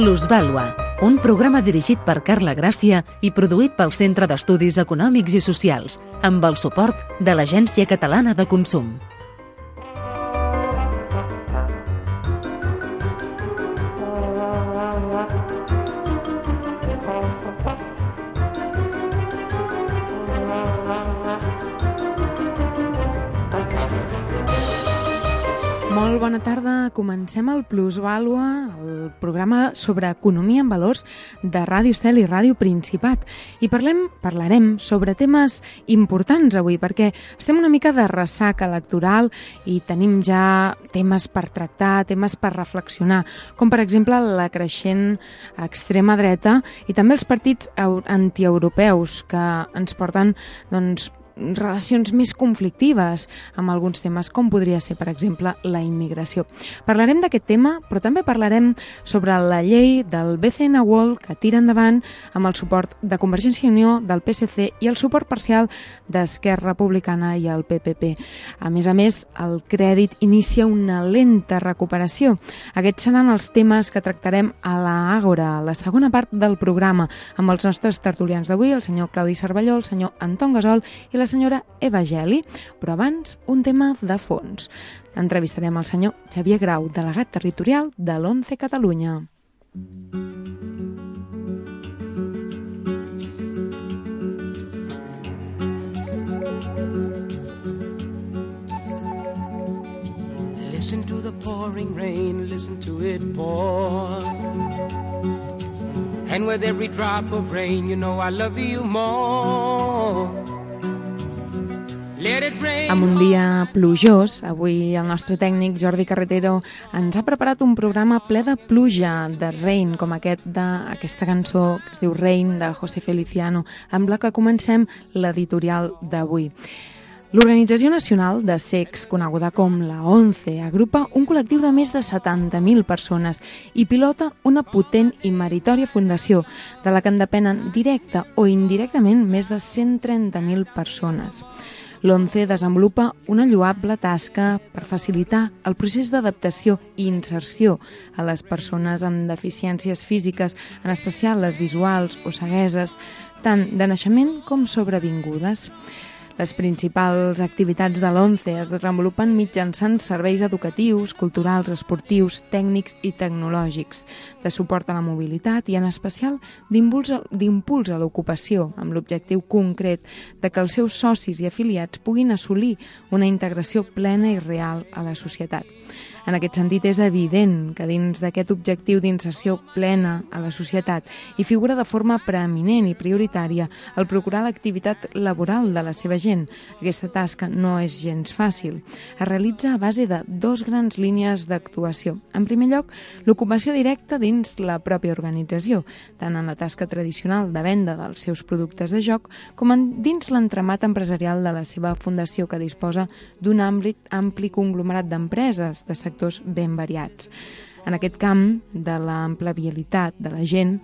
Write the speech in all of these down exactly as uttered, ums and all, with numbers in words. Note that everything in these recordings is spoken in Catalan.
Plusvàlua, un programa dirigit per Carla Gràcia i produït pel Centre d'Estudis Econòmics i Socials, amb el suport de l'Agència Catalana de Consum. Molt bona tarda. Comencem el Plusvàlua, el programa sobre economia en valors de Ràdio Estel i Ràdio Principat. I parlem, parlarem sobre temes importants avui, perquè estem una mica de ressaca electoral i tenim ja temes per tractar, temes per reflexionar, com per exemple la creixent extrema dreta i també els partits antieuropeus que ens porten, doncs, relacions més conflictives amb alguns temes, com podria ser, per exemple, la immigració. Parlarem d'aquest tema, però també parlarem sobre la llei del B C N World que tira endavant amb el suport de Convergència i Unió, del P S C i el suport parcial d'Esquerra Republicana i el P P P. A més a més, el crèdit inicia una lenta recuperació. Aquests seran els temes que tractarem a l'Àgora, la segona part del programa, amb els nostres tertulians d'avui, el senyor Claudi Cervelló, el senyor Anton Gasol i la senyora Eva Geli, però abans un tema de fons. Entrevistarem el senyor Xavier Grau, delegat territorial de l'ONCE Catalunya. Listen to the pouring rain, listen to it pour. And with every drop of rain, you know I love you more. Amb un dia plujós, avui el nostre tècnic Jordi Carretero ens ha preparat un programa ple de pluja, de Rain, com aquest d'aquesta cançó que es diu Rain, de José Feliciano, amb la que comencem l'editorial d'avui. L'Organització Nacional de Cecs, coneguda com la ONCE, agrupa un col·lectiu de més de setanta mil persones i pilota una potent i meritòria fundació, de la que en depenen directa o indirectament més de cent trenta mil persones. L'ONCE desenvolupa una lloable tasca per facilitar el procés d'adaptació i inserció a les persones amb deficiències físiques, en especial les visuals o cegueses, tant de naixement com sobrevingudes. Les principals activitats de l'ONCE es desenvolupen mitjançant serveis educatius, culturals, esportius, tècnics i tecnològics, de suport a la mobilitat i, en especial, d'impuls a l'ocupació, amb l'objectiu concret de que els seus socis i afiliats puguin assolir una integració plena i real a la societat. En aquest sentit, és evident que dins d'aquest objectiu d'inserció plena a la societat hi figura de forma preeminent i prioritària el procurar l'activitat laboral de la seva gent. Aquesta tasca no és gens fàcil. Es realitza a base de dos grans línies d'actuació. En primer lloc, l'ocupació directa dins la pròpia organització, tant en la tasca tradicional de venda dels seus productes de joc com en dins l'entramat empresarial de la seva fundació, que disposa d'un ampli, ampli conglomerat d'empreses de sectors ben variats. En aquest camp de l'empleabilitat de la gent,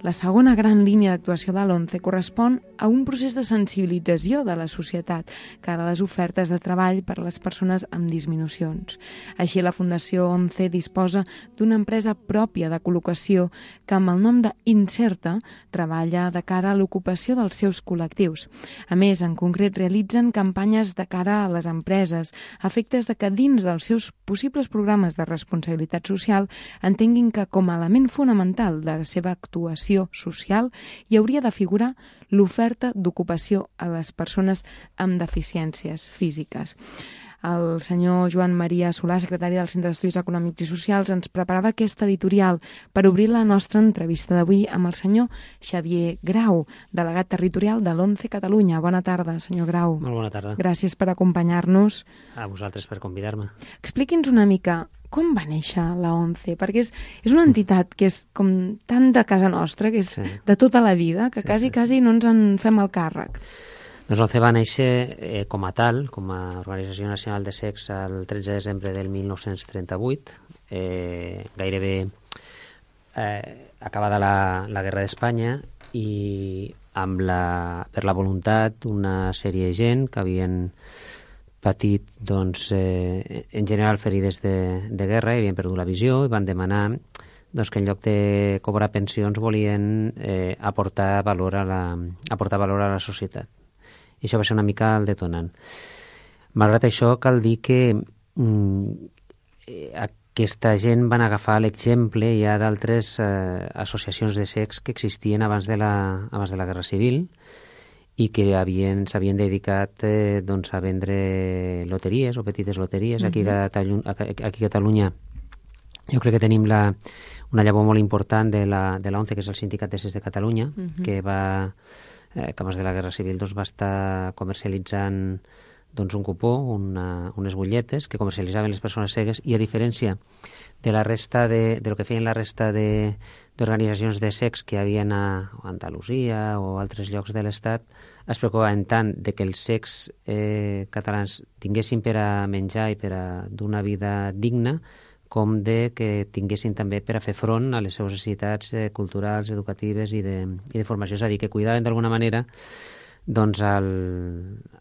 la segona gran línia d'actuació de l'ONCE correspon a un procés de sensibilització de la societat cara a les ofertes de treball per a les persones amb disminucions. Així, la Fundació ONCE disposa d'una empresa pròpia de col·locació que, amb el nom d'Inserta, treballa de cara a l'ocupació dels seus col·lectius. A més, en concret, realitzen campanyes de cara a les empreses, a efectes de que dins dels seus possibles programes de responsabilitat social entenguin que, com a element fonamental de la seva actuació social, hi hauria de figurar l'oferta d'ocupació a les persones amb deficiències físiques. El senyor Joan Maria Solà, secretari del Centre d'Estudis Econòmics i Socials, ens preparava aquesta editorial per obrir la nostra entrevista d'avui amb el senyor Xavier Grau, delegat territorial de l'ONCE Catalunya. Bona tarda, senyor Grau. Molt bona tarda. Gràcies per acompanyar-nos. A vosaltres per convidar-me. Expliqui'ns una mica com va néixer la ONCE, perquè és, és una entitat que és com tan de casa nostra, que és sí. de tota la vida, que sí, quasi, sí, quasi sí. no ens en fem el càrrec. Doncs l'ONCE va néixer eh, com a tal, com a Organització Nacional de Cecs, el tretze de desembre del mil nou-cents trenta-vuit, eh, gairebé eh, acabada la, la Guerra d'Espanya, i amb la, per la voluntat d'una sèrie de gent que havien patit, doncs, eh, en general ferides de, de guerra i havien perdut la visió i van demanar doncs que en lloc de cobrar pensions volien eh, aportar valor a la, aportar valor a la societat. I això va ser una mica el detonant. Malgrat això, cal dir que mm, aquesta gent van agafar l'exemple ja d'altres eh, associacions de cecs que existien abans de la, abans de la Guerra Civil i que havien, s'havien dedicat eh, doncs, a vendre loteries o petites loteries. Uh-huh. Aquí, a Catalunya, aquí a Catalunya jo crec que tenim la, una llavor molt important de la, de l'ONCE, que és el Sindicat de Cecs de Catalunya, uh-huh. que va, eh, que abans de la Guerra Civil doncs, va estar comercialitzant doncs, un cupó, una, unes butlletes que comercialitzaven les persones cegues, i a diferència de la resta de, de lo que feien la resta de, d'organitzacions de cecs que hi havia a Andalusia o altres llocs de l'Estat, es preocupaven tant de que els cecs eh, catalans tinguessin per a menjar i per a d'una vida digna, com de que tinguessin també per a fer front a les seves necessitats eh, culturals, educatives i de, i de formació. És a dir, que cuidaven d'alguna manera doncs el,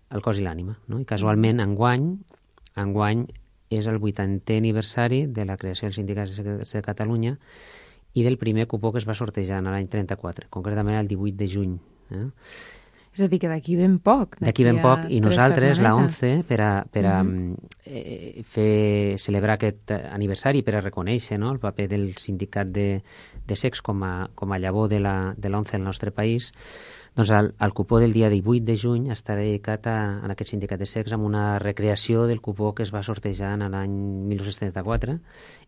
el cos i l'ànima, no? I casualment, enguany, enguany és el vuitantè aniversari de la creació del Sindicat de Catalunya i del primer cupó que es va sortejar l'any trenta-quatre, concretament el divuit de juny. Eh? És a dir, que d'aquí ben poc. D'aquí ben poc, i nosaltres, la ONCE, per a, per a uh-huh. eh, fer, celebrar aquest aniversari, per a reconèixer, no?, el paper del sindicat de, de cecs com a, com a llavor de la, de l'ONCE al nostre país, doncs el, el cupó del dia divuit de juny està dedicat a, a aquest sindicat de cecs amb una recreació del cupó que es va sortejar en l'any mil nou-cents trenta-quatre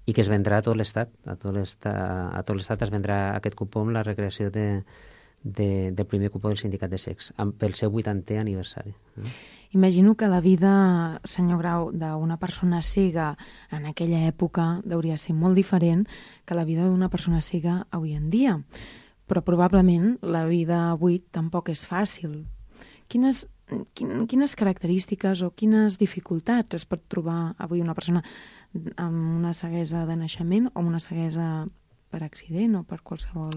i que es vendrà a tot l'Estat. A tot l'Estat, a tot l'Estat es vendrà aquest cupó amb la recreació de, de, del primer cupó del sindicat de cecs, amb, pel seu vuitantè aniversari. Imagino que la vida, senyor Grau, d'una persona cega en aquella època hauria de ser molt diferent que la vida d'una persona cega avui en dia. Però probablement la vida avui tampoc és fàcil. Quines, quines característiques o quines dificultats es pot trobar avui una persona amb una ceguesa de naixement o amb una ceguesa per accident o per qualsevol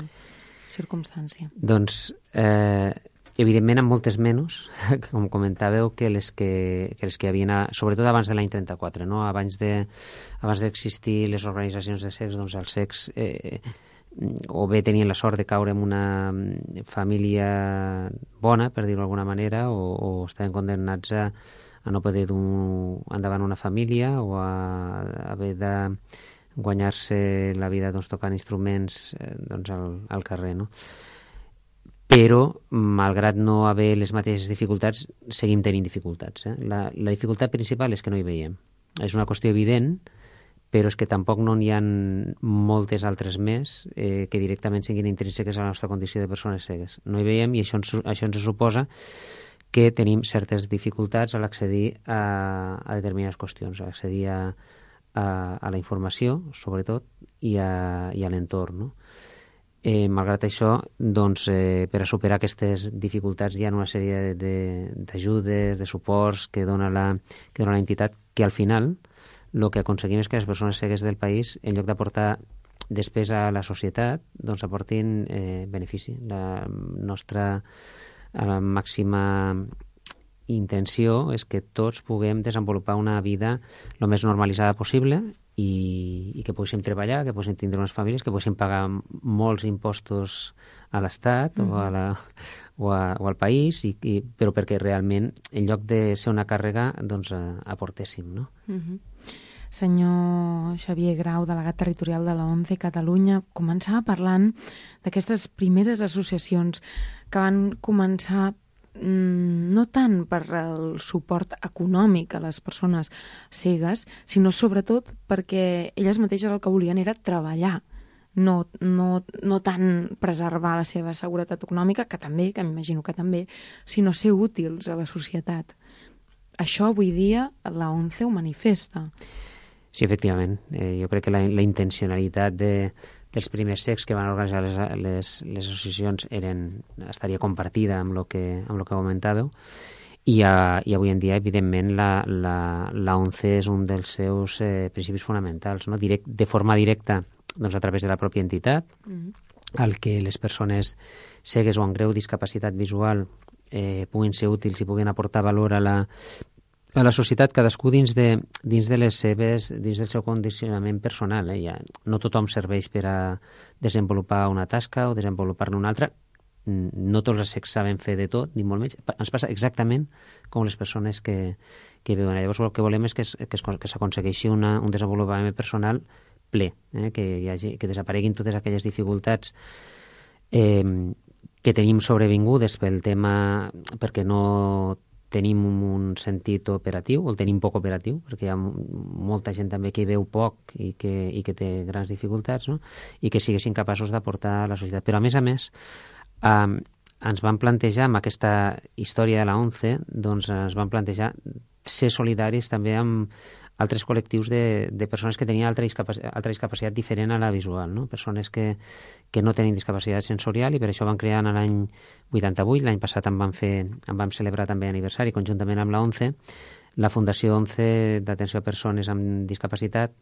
circumstància? Doncs, eh, evidentment, amb moltes menys, com comentàveu, que les que, que les que hi havia, sobretot abans de l'any trenta-quatre, no? Abans de, abans d'existir les organitzacions de cecs, doncs els cecs eh, o bé tenien la sort de caure en una família bona, per dir-ho d'alguna manera, o, o estaven condemnats a, a no poder dur endavant una família o a, a haver de guanyar-se la vida doncs, tocant instruments eh, doncs, al, al carrer, no? Però, malgrat no haver les mateixes dificultats, seguim tenint dificultats. Eh? La, la dificultat principal és que no hi veiem. És una qüestió evident, però és que tampoc no n'hi ha moltes altres més eh, que directament siguin intrínseques a la nostra condició de persones cegues. No hi veiem i això ens, això ens suposa que tenim certes dificultats a l'accedir a, a determinades qüestions, a accedir a, a, a la informació, sobretot, i a, i a l'entorn, no? Eh, malgrat això, doncs, eh, per a superar aquestes dificultats hi ha una sèrie d'ajudes, de, de suports que dona la, que dona l'entitat, que al final el que aconseguim és que les persones cegues del país, en lloc d'aportar despesa a la societat, doncs aportin eh, benefici. La nostra la màxima intenció és que tots puguem desenvolupar una vida el més normalitzada possible i, i que poguéssim treballar, que poguéssim tindre unes famílies, que poguéssim pagar molts impostos a l'Estat mm-hmm. o, a la, o, a, o al país, i, i, però perquè realment, en lloc de ser una càrrega, doncs aportéssim, no? Mm-hmm. Senyor Xavier Grau, delegat territorial de la ONCE Catalunya, començava parlant d'aquestes primeres associacions que van començar mmm, no tant per el suport econòmic a les persones cegues, sinó sobretot perquè elles mateixes el que volien era treballar, no, no, no tant preservar la seva seguretat econòmica, que també, que m'imagino que també, sinó ser útils a la societat. Això avui dia la ONCE ho manifesta. Sí, efectivament. Eh, jo crec que la, la intencionalitat de, dels primers cecs que van organitzar les, les, les associacions eren, estaria compartida amb el que, amb lo que comentàveu, i, a, i avui en dia, evidentment, la, la, la ONCE és un dels seus eh, principis fonamentals, no? Direct, de forma directa, doncs, a través de la pròpia entitat, mm-hmm. al que les persones cegues o amb greu discapacitat visual eh, puguin ser útils i puguin aportar valor a la a la societat, cadascú dins de, dins de les seves, dins del seu condicionament personal. Eh? Ja, no tothom serveix per a desenvolupar una tasca o desenvolupar-ne una altra. No tots els secs saben fer de tot, ni molt menys. Ens passa exactament com les persones que, que veuen. Llavors el que volem és que, que, que s'aconsegueixi una, un desenvolupament personal ple, eh? que, hi hagi, que desapareguin totes aquelles dificultats eh, que tenim sobrevingudes pel tema, perquè no tenim un sentit operatiu, o el tenim poc operatiu, perquè hi ha molta gent també que hi veu poc i que, i que té grans dificultats, no? I que siguessin capaços d'aportar a la societat. Però, a més a més, eh, ens van plantejar, amb aquesta història de la ONCE, doncs ens van plantejar ser solidaris també amb altres col·lectius de, de persones que tenien altra discapacitat, altra discapacitat diferent a la visual, no? Persones que, que no tenen discapacitat sensorial, i per això van crear en l'any vuitanta-vuit, l'any passat en vam, fer, en vam celebrar també aniversari conjuntament amb la ONCE, la Fundació ONCE d'Atenció a Persones amb Discapacitat,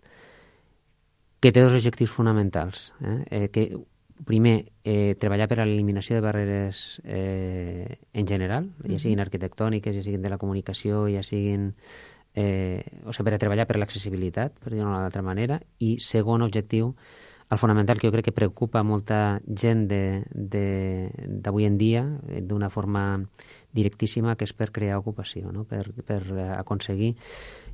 que té dos objectius fonamentals. Eh? Eh, que, primer, eh, treballar per a l'eliminació de barreres eh, en general, ja siguin arquitectòniques, ja siguin de la comunicació, ja siguin... Eh, o sigui, per a treballar per l'accessibilitat, per dir-ho d'una altra manera, i segon objectiu, el fonamental, que jo crec que preocupa molta gent d'avui en dia d'una forma directíssima, que és per crear ocupació, no? per, per aconseguir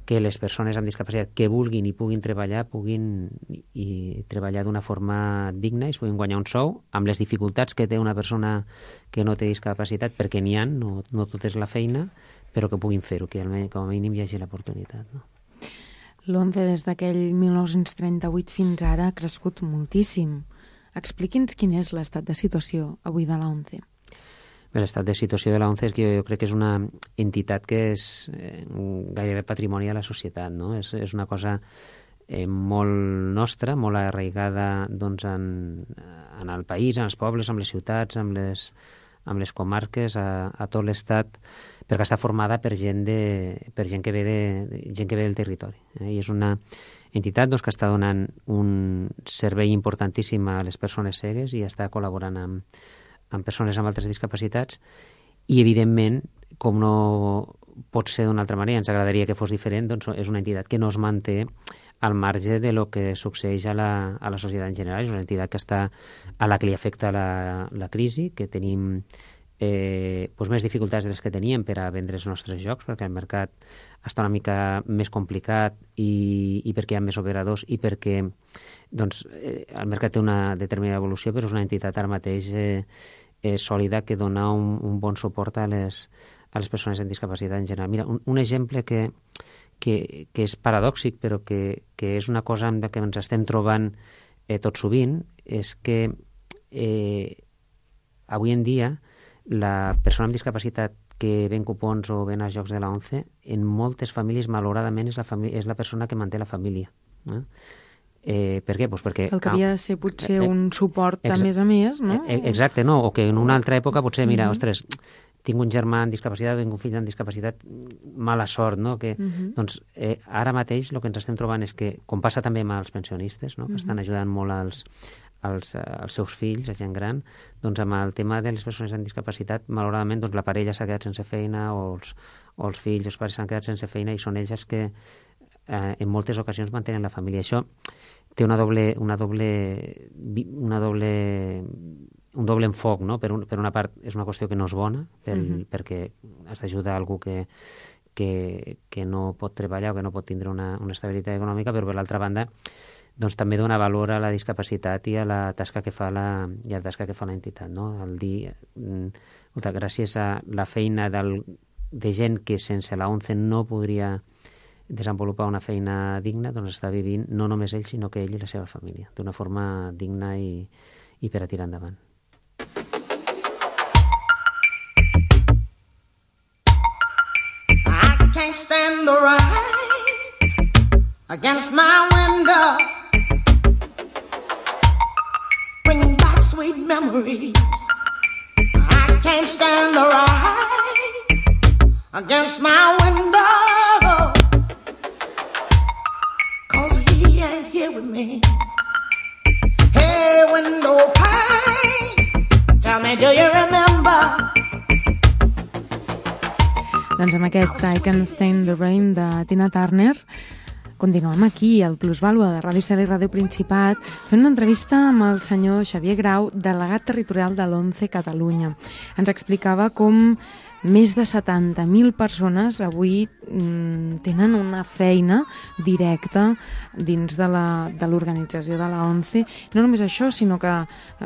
que les persones amb discapacitat que vulguin i puguin treballar puguin i, i treballar d'una forma digna i es puguin guanyar un sou amb les dificultats que té una persona que no té discapacitat, perquè n'hi ha, no, no tot és la feina, però que puguin fer-ho, que com a mínim hi hagi l'oportunitat. No? L'ONCE des d'aquell mil nou-cents trenta-vuit fins ara ha crescut moltíssim. Expliqui'ns quin és l'estat de situació avui de l'ONCE. Bé, l'estat de situació de l'ONCE és que jo crec que és una entitat que és eh, gairebé patrimoni de la societat, no? És, és una cosa eh, molt nostra, molt arraigada doncs, en, en el país, en els pobles, en les ciutats, en les, en les comarques, a, a tot l'estat, perquè està formada per gent, de, per gent, que, ve de, gent que ve del territori. Eh? I és una entitat doncs, que està donant un servei importantíssim a les persones cegues i està col·laborant amb, amb persones amb altres discapacitats, i evidentment, com no pot ser d'una altra manera, ens agradaria que fos diferent, doncs és una entitat que no es manté al marge de lo que succeeix a la, a la societat en general. És una entitat que està a la que li afecta la, la crisi, que tenim eh, doncs més dificultats de les que teníem per a vendre els nostres jocs, perquè el mercat està una mica més complicat i, i perquè hi ha més operadors i perquè doncs, eh, el mercat té una determinada evolució, però és una entitat ara mateix eh, eh, sòlida, que dona un, un bon suport a les, a les persones amb discapacitat en general. Mira, un, un exemple que, que, que és paradòxic, però que, que és una cosa amb la que ens estem trobant eh, tot sovint, és que eh, avui en dia la persona amb discapacitat que ven cupons o ven als jocs de la ONCE, en moltes famílies, malauradament, és la, família, és la persona que manté la família. Eh? Eh, per què? Pues perquè, el que havia de ser potser eh, un suport a més a més, no? Eh, exacte, no? O que en una altra època potser, mira, mm-hmm. ostres, tinc un germà amb discapacitat o tinc un fill amb discapacitat, mala sort, no? Que, mm-hmm. Doncs eh, ara mateix el que ens estem trobant és que, com passa també amb els pensionistes, no? Que mm-hmm. estan ajudant molt als, als, als seus fills, a gent gran, doncs amb el tema de les persones amb discapacitat, malauradament, doncs la parella s'ha quedat sense feina, o els, o els fills, els pares s'han quedat sense feina, i són ells els que eh, en moltes ocasions mantenen la família. Això té una doble, una doble, una doble, un doble enfoc, no? Per, un, per una part és una qüestió que no és bona, pel, uh-huh. perquè has d'ajudar algú que, que, que no pot treballar o que no pot tindre una, una estabilitat econòmica, però per l'altra banda doncs també dona valor a la discapacitat i a la tasca que fa la, i a la tasca que fa l'entitat, no? El dir, escolta, gràcies a la feina del, de gent que sense la ONCE no podria desenvolupar una feina digna, doncs està vivint no només ell, sinó que ell i la seva família, d'una forma digna i, i per a tirar endavant. I can't stand the rain against my window, bringing back sweet memories. I can't stand the rain against my window, here with me. Hey, window pane, tell me, do you remember? Doncs amb aquest I Can't Stand the Rain de Tina Turner continuem aquí, al Plusvàlua de Ràdio Cel i Ràdio Principat, fent una entrevista amb el senyor Xavier Grau, delegat territorial de l'ONCE Catalunya. Ens explicava com més de setanta mil persones avui mm, tenen una feina directa dins de la, de l'organització de la ONCE. No només això, sinó que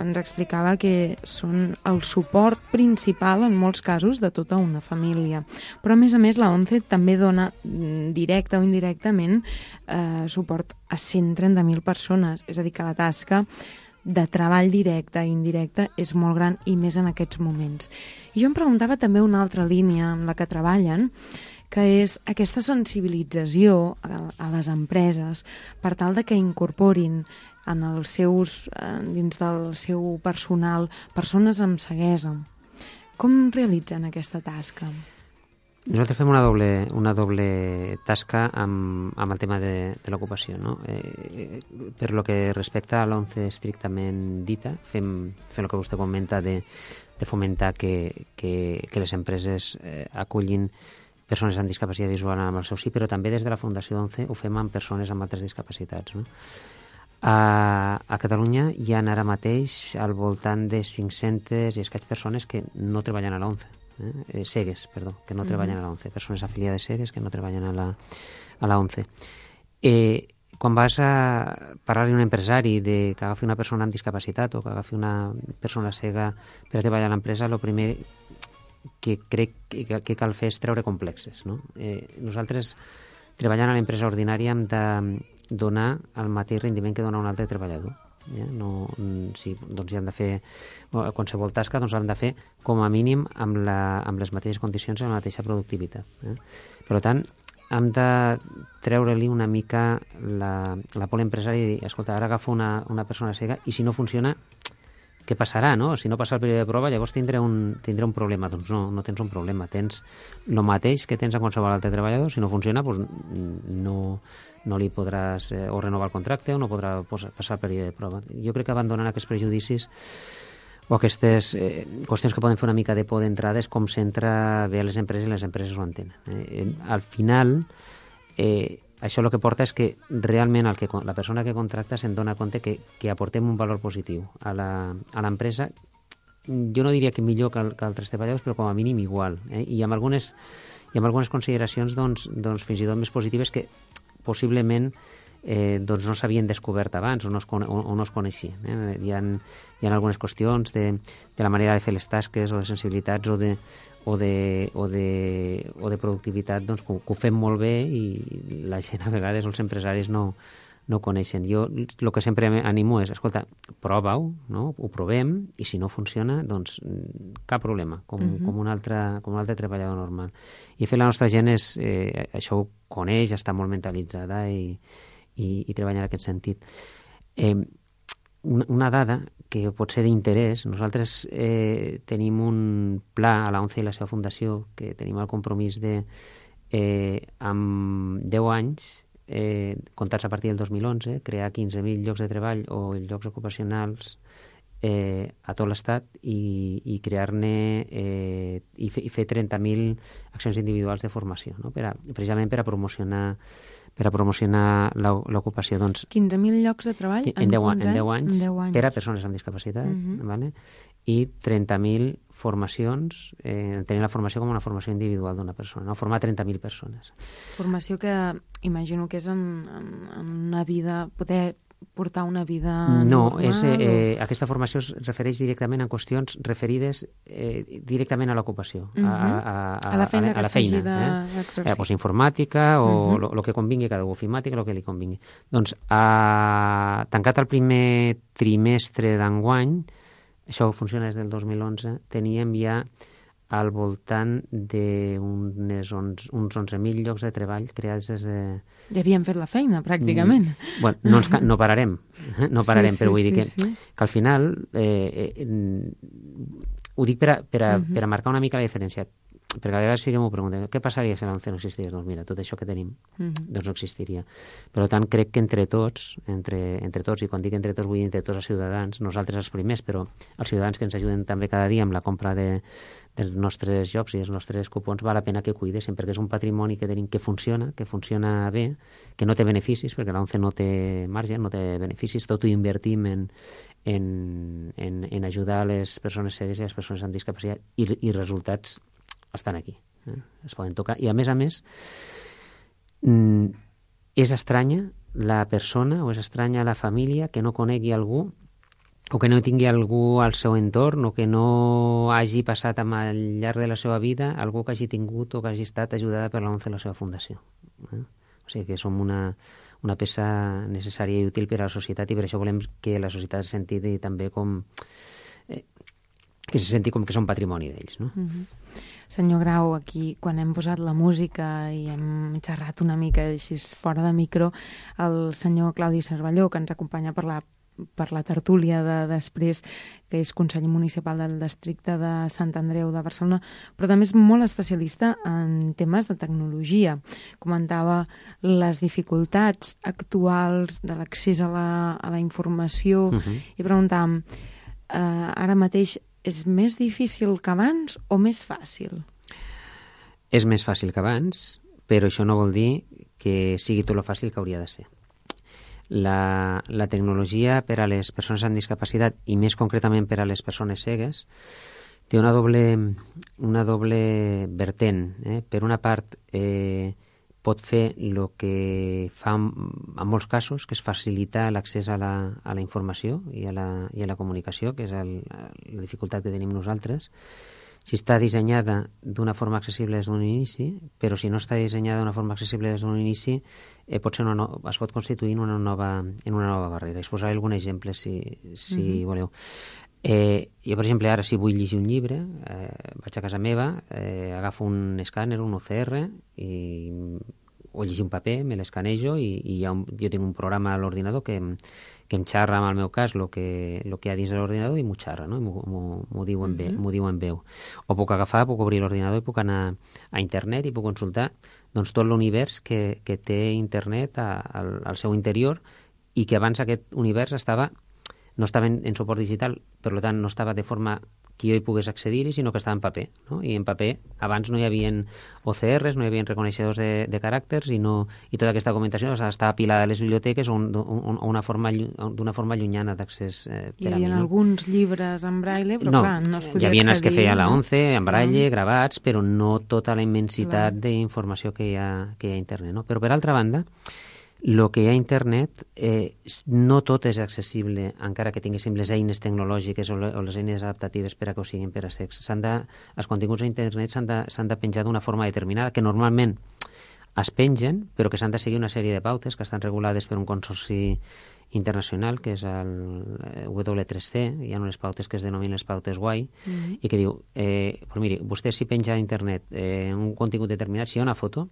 ens explicava que són el suport principal, en molts casos, de tota una família. Però, a més a més, la ONCE també dona, directe o indirectament, eh, suport a cent trenta mil persones. És a dir, que la tasca de treball directe i indirecte és molt gran, i més en aquests moments. I jo em preguntava també una altra línia en la que treballen, que és aquesta sensibilització a, a les empreses per tal de que incorporin en els seus, dins del seu personal, persones amb ceguesa. Com realitzen aquesta tasca? Nosaltres fem una doble, una doble tasca amb, amb el tema de, de l'ocupació, no? Eh, per lo que respecta a l'ONCE estrictament dita, fem, fem el que vostè comenta de, de fomentar que, que, que les empreses eh, acullin persones amb discapacitat visual amb el seu sí, però també des de la Fundació ONCE ho fem amb persones amb altres discapacitats, no? A, a Catalunya hi ha ara mateix al voltant de cinc-centes i escaig persones que no treballen a l'ONCE. Eh, cegues, perdó, que no treballen a la ONCE, persones afiliades cegues que no treballen a la, a la ONCE. Eh, quan vas a parlar-li a un empresari de que agafi una persona amb discapacitat o que agafi una persona cega per a treballar a l'empresa, el primer que crec que, que cal fer és treure complexes, no? Eh, nosaltres, treballant a l'empresa ordinària, hem de donar el mateix rendiment que dona un altre treballador. Ja, no, si doncs hi hem de fer qualsevol tasca, doncs l'hem de fer com a mínim amb, la, amb les mateixes condicions i amb la mateixa productivitat. Eh? Per tant, hem de treure-li una mica la, la por a l'empresari i dir, escolta, ara agafo una, una persona cega i si no funciona, què passarà, no? Si no passa el període de prova, llavors tindré un, tindré un problema. Doncs no, no tens un problema. Tens el mateix que tens a qualsevol altre treballador. Si no funciona, doncs no, no li podràs eh, o renovar el contracte o no podrà posar, passar el període de prova. Jo crec que abandonant aquests prejudicis o aquestes eh, qüestions que poden fer una mica de por d'entrada és com s'entra bé a les empreses i les empreses ho entenen. Eh? Al final, eh, això el que porta és que realment el que, la persona que contracta se'n dona compte que, que aportem un valor positiu a l'empresa. Jo no diria que millor que, que altres treballadors, però com a mínim igual. Eh? I amb algunes, i amb algunes consideracions doncs, doncs, fins i tot més positives que possiblement eh, doncs no s'havien descobert abans o no es, o, o no es coneixien. Eh? Hi, ha, hi ha algunes qüestions de, de la manera de fer les tasques o de sensibilitats o de, o de, o de, o de productivitat doncs, que, que ho fem molt bé i la gent a vegades, els empresaris no, no ho coneixen. Jo el que sempre animo és, escolta, prova-ho, no? Ho provem i si no funciona, doncs cap problema, com, uh-huh. com, un altre, com un altre treballador normal. I fer la nostra gent és, eh, això ho coneix, està molt mentalitzada i, i, i treballa en aquest sentit. Eh, una, una dada que pot ser d'interès, nosaltres eh, tenim un pla a la ONCE i la seva fundació que tenim el compromís de, eh, amb deu anys, eh, comptats a partir del dos mil onze, crear quinze mil llocs de treball o llocs ocupacionals eh, a tot l'Estat i, i crear-ne eh, i, fe, i fer trenta mil accions individuals de formació, no? per a, precisament per a promocionar per a promocionar l'ocupació. Doncs, quinze mil llocs de treball en, en, deu, en, anys, deu anys, en deu anys per a persones amb discapacitat, uh-huh. vale? I trenta mil formacions, eh, tenir la formació com una formació individual d'una persona, no? Formar trenta mil persones. Formació que imagino que és en, en, en una vida, poder portar una vida no, normal? És, eh, o... aquesta formació es refereix directament a qüestions referides eh, directament a l'ocupació, uh-huh. a, a, a, a la feina, a, a la feina eh? eh, pues informàtica o el uh-huh. que convingui, cada ofimàtica, el que li convingui. Doncs, a, tancat el primer trimestre d'enguany, això funciona des del dos mil onze, teníem ja al voltant d'uns uns onze mil llocs de treball creats des de... Ja havíem fet la feina, pràcticament. Mm, bueno, no, ens, no pararem, no pararem, sí, sí, però vull sí, dir que, sí. que al final, eh, eh, ho dic per a, per, a, uh-huh. per a marcar una mica la diferència. perquè a vegades sí que m'ho preguntem, què passaria si l'ONCE no existís? Doncs mira, tot això que tenim, mm-hmm. doncs no existiria. Per tant, crec que entre tots, entre, entre tots, i quan dic entre tots vull dir entre tots els ciutadans, nosaltres els primers, però els ciutadans que ens ajuden també cada dia amb la compra de, dels nostres jocs i els nostres cupons, val la pena que cuidessin, perquè és un patrimoni que tenim que funciona, que funciona bé, que no té beneficis, perquè l'ONCE no té marge, no té beneficis, tot ho invertim en, en, en, en ajudar a les persones cegues i a les persones amb discapacitat, i, i resultats estan aquí, eh? Es poden tocar. I a més a més, mm, és estranya la persona o és estranya la família que no conegui algú o que no tingui algú al seu entorn o que no hagi passat al llarg de la seva vida algú que hagi tingut o que hagi estat ajudada per l'ONCE a la seva fundació. Eh? O sigui que som una, una peça necessària i útil per a la societat i per això volem que la societat se senti també com... Eh, que se senti com que són patrimoni d'ells, no? Mm-hmm. Senyor Grau, aquí, quan hem posat la música i hem xerrat una mica així fora de micro, el senyor Claudi Cervelló, que ens acompanya per la, per la tertúlia de després, que és conseller municipal del districte de Sant Andreu de Barcelona, però també és molt especialista en temes de tecnologia. Comentava les dificultats actuals de l'accés a la, a la informació uh-huh. i preguntàvem, eh, ara mateix és més difícil que abans o més fàcil? És més fàcil que abans, però això no vol dir que sigui tot lo fàcil que hauria de ser. La, la tecnologia per a les persones amb discapacitat i més concretament per a les persones cegues té una doble, una doble vertent. Eh? Per una part, eh, pot fer el que fa en, en molts casos, que és facilitar l'accés a, la, a la informació i a la, i a la comunicació, que és el, la dificultat que tenim nosaltres. Si està dissenyada d'una forma accessible des d'un inici, però si no està dissenyada d'una forma accessible des d'un inici, eh, pot ser una no, es pot constituir en una nova, en una nova barrera. I us posaré algun exemple, si, si mm-hmm. voleu. Eh, jo, per exemple, ara si vull llegir un llibre, eh, vaig a casa meva, eh, agafo un escàner, un O C R, i, o llegir un paper, me l'escanejo i, i ha un, jo tinc un programa a l'ordinador que, que em xarra, en el meu cas, el que, lo que hi ha dins de l'ordinador i m'ho xarra, no? M'ho diu, en uh-huh. diu en veu. O puc agafar, puc obrir l'ordinador i puc anar a internet i puc consultar doncs, tot l'univers que, que té internet a, al, al seu interior i que abans aquest univers estava no estava en, en suport digital, per tant no estava de forma que jo hi pogués accedir-hi, sinó que estava en paper, no? I en paper abans no hi havia O C Rs, no hi havia reconeixedors de, de caràcters i, no, i tota aquesta documentació estava apilada a les biblioteques o un, un, una forma, d'una forma llunyana d'accés eh, per hi a mi. Hi havia no? alguns llibres en braille, però no, clar, no es podia hi havia accedir. els que feia la ONCE, en braille, no? gravats, però no tota la immensitat clar. d'informació que hi ha, que hi ha a internet. No? Però per altra banda, el que hi ha a internet eh, no tot és accessible, encara que tinguéssim les eines tecnològiques o, le, o les eines adaptatives per a que ho siguin per a sex. S'han de, els continguts a internet s'han de, s'han de penjar d'una forma determinada, que normalment es pengen, però que s'han de seguir una sèrie de pautes que estan regulades per un consorci internacional, que és el W tres C, hi ha unes pautes que es denominen les pautes W I, mm-hmm. i que diu, eh, pues miri, vostè si penja a internet eh, un contingut determinat, si hi ha una foto,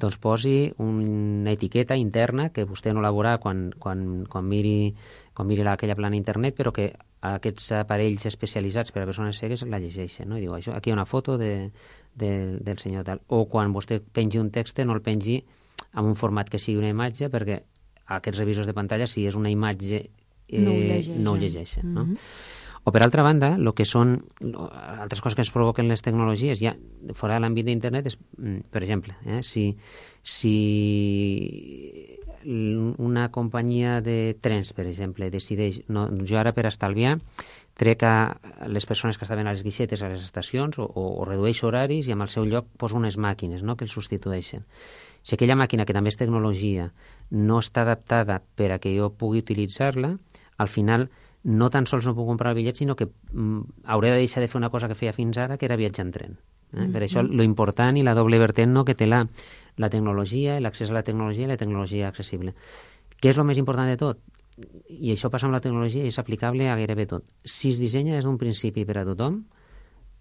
doncs posi una etiqueta interna que vostè no la veurà quan, quan, quan miri, quan miri aquella plana internet, però que aquests aparells especialitzats per a persones cegues la llegeixen, no? I diu, això, aquí hi ha una foto de, de, del senyor tal. O quan vostè pengi un text, no el pengi en un format que sigui una imatge, perquè aquests revisors de pantalla, si és una imatge, eh, no ho llegeixen. No ho llegeixen mm-hmm. no? O, per altra banda, el que són altres coses que ens provoquen les tecnologies, ja fora de l'àmbit d'internet, és, per exemple, eh, si, si una companyia de trens, per exemple, decideix, no, jo ara per estalviar, trec a les persones que estaven a les guixetes a les estacions o, o, o redueixo horaris i en el seu lloc poso unes màquines, no?, que els substitueixen. Si aquella màquina, que també és tecnologia, no està adaptada per a que jo pugui utilitzar-la, al final no tan sols no puc comprar el bitllet, sinó que mm, hauré de deixar de fer una cosa que feia fins ara, que era viatjar en tren. Eh? Mm-hmm. Per això, lo important i la doble vertent, no?, que té la, la tecnologia, l'accés a la tecnologia i la tecnologia accessible. Què és el més important de tot? I això passa amb la tecnologia i és aplicable a gairebé tot. Si es dissenya des d'un principi per a tothom,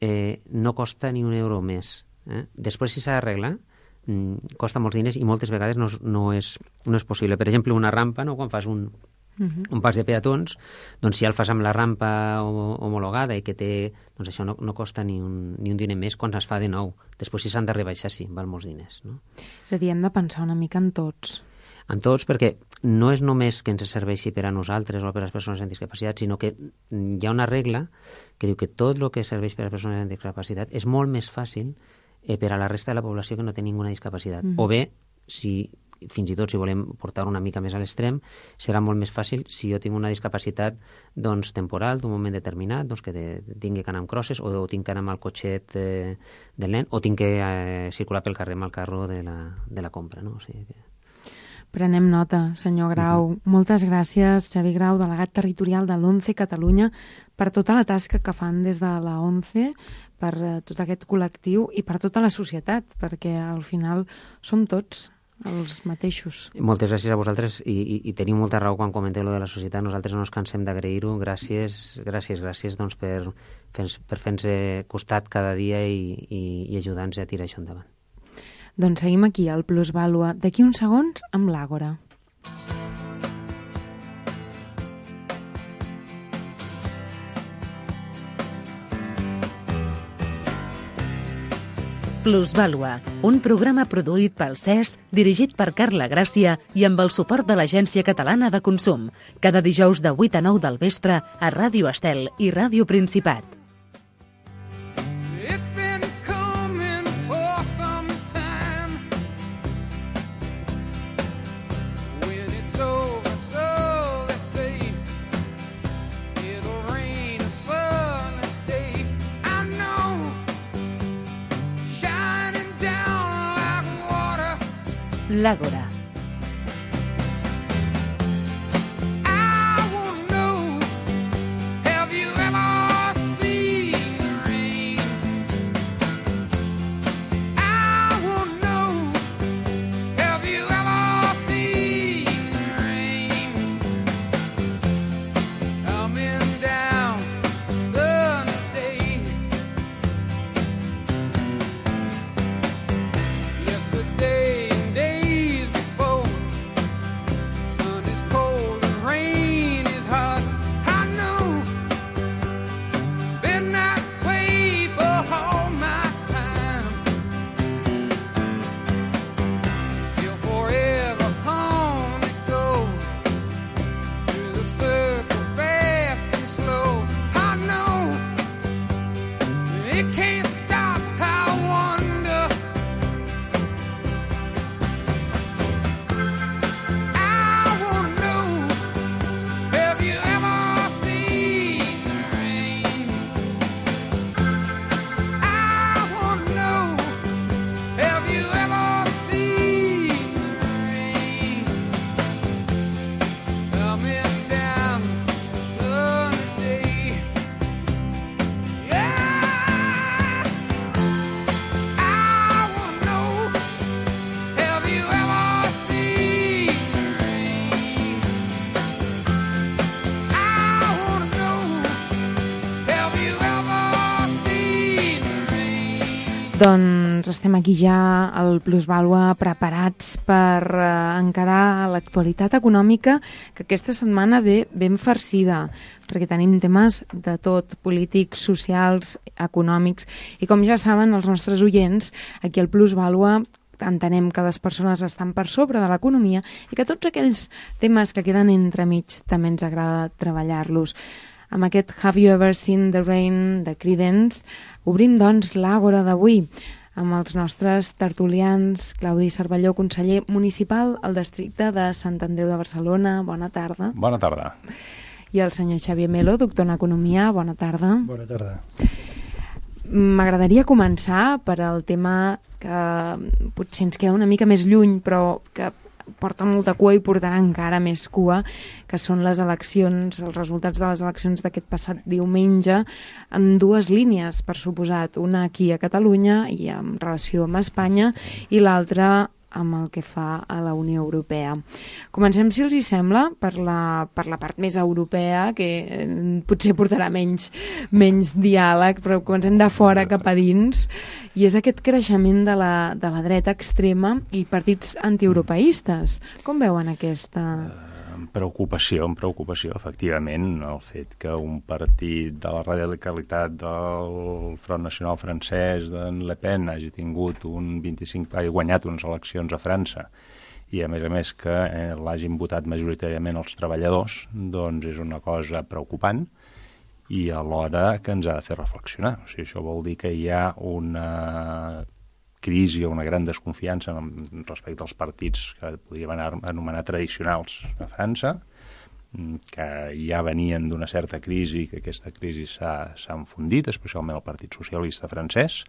eh, no costa ni un euro més. Eh? Després, si s'ha d'arreglar, mm, costa molts diners i moltes vegades no, no, és, no és possible. Per exemple, una rampa, no?, quan fas un Uh-huh. Un pas de peatons, doncs si ja el fas amb la rampa homologada i que té... Doncs això no, no costa ni un, ni un diner més quan es fa de nou. Després, si s'han de rebaixar, sí, val molts diners. No? És a dir, hem de pensar una mica en tots. En tots, perquè no és només que ens serveixi per a nosaltres o per a les persones amb discapacitat, sinó que hi ha una regla que diu que tot el que serveix per a les persones amb discapacitat és molt més fàcil eh, per a la resta de la població que no té ninguna discapacitat. Mm. O bé, si... fins i tot si volem portar una mica més a l'extrem, serà molt més fàcil si jo tinc una discapacitat doncs, temporal d'un moment determinat, doncs, que de, tingui que anar amb crosses o, o tinc que anar amb el cotxet eh, del nen o tinc que eh, circular pel carrer amb el carro de la, de la compra. No? O sigui que... Prenem nota, senyor Grau. Uh-huh. Moltes gràcies, Xavi Grau, delegat territorial de l'ONCE Catalunya, per tota la tasca que fan des de la ONCE, per eh, tot aquest col·lectiu i per tota la societat, perquè al final som tots els mateixos. Moltes gràcies a vosaltres i, i, i teniu molta raó quan comenteu lo de la societat. Nosaltres no ens cansem d'agrair-ho. Gràcies, gràcies, gràcies doncs, per, per fer-nos costat cada dia i, i, i ajudar-nos a tirar això endavant. Doncs seguim aquí, al Plusvàlua. D'aquí uns segons, amb l'Àgora. Plusvàlua, un programa produït pel C E S, dirigit per Carla Gràcia i amb el suport de l'Agència Catalana de Consum. Cada dijous de vuit a nou del vespre a Ràdio Estel i Ràdio Principat. L'Àgora. Doncs estem aquí ja al Plusvàlua preparats per eh, encarar l'actualitat econòmica que aquesta setmana ve ben farcida, perquè tenim temes de tot, polítics, socials, econòmics, i com ja saben els nostres oients, aquí al Plusvàlua entenem que les persones estan per sobre de l'economia i que tots aquells temes que queden entremig també ens agrada treballar-los. Amb aquest Have You Ever Seen the Rain de Creedence obrim doncs l'Àgora d'avui amb els nostres tertulians. Claudi Cervelló, conseller municipal al districte de Sant Andreu de Barcelona. Bona tarda. Bona tarda. I el senyor Xavier Melo, doctor en Economia. Bona tarda. Bona tarda. M'agradaria començar per al tema que potser ens queda una mica més lluny, però que porta molta cua i portarà encara més cua, que són les eleccions, els resultats de les eleccions d'aquest passat diumenge, en dues línies, per suposat, una aquí a Catalunya i en relació amb Espanya, i l'altra amb el que fa a la Unió Europea. Comencem, si els hi sembla, per la, per la part més europea, que eh, potser portarà menys, menys diàleg, però comencem de fora cap a dins, i és aquest creixement de la, de la dreta extrema i partits antieuropeistes. Com veuen aquesta... Amb preocupació, amb preocupació, efectivament, el fet que un partit de la radicalitat del Front Nacional francès d'en Le Pen hagi tingut un vint-i-cinc, hagi guanyat unes eleccions a França i, a més a més, que eh, l'hagin votat majoritàriament els treballadors, doncs és una cosa preocupant i alhora que ens ha de fer reflexionar. O sigui, això vol dir que hi ha una crisi o una gran desconfiança respecte als partits que podríem anomenar tradicionals a França, que ja venien d'una certa crisi, que aquesta crisi s'ha enfondit, especialment el Partit Socialista francès,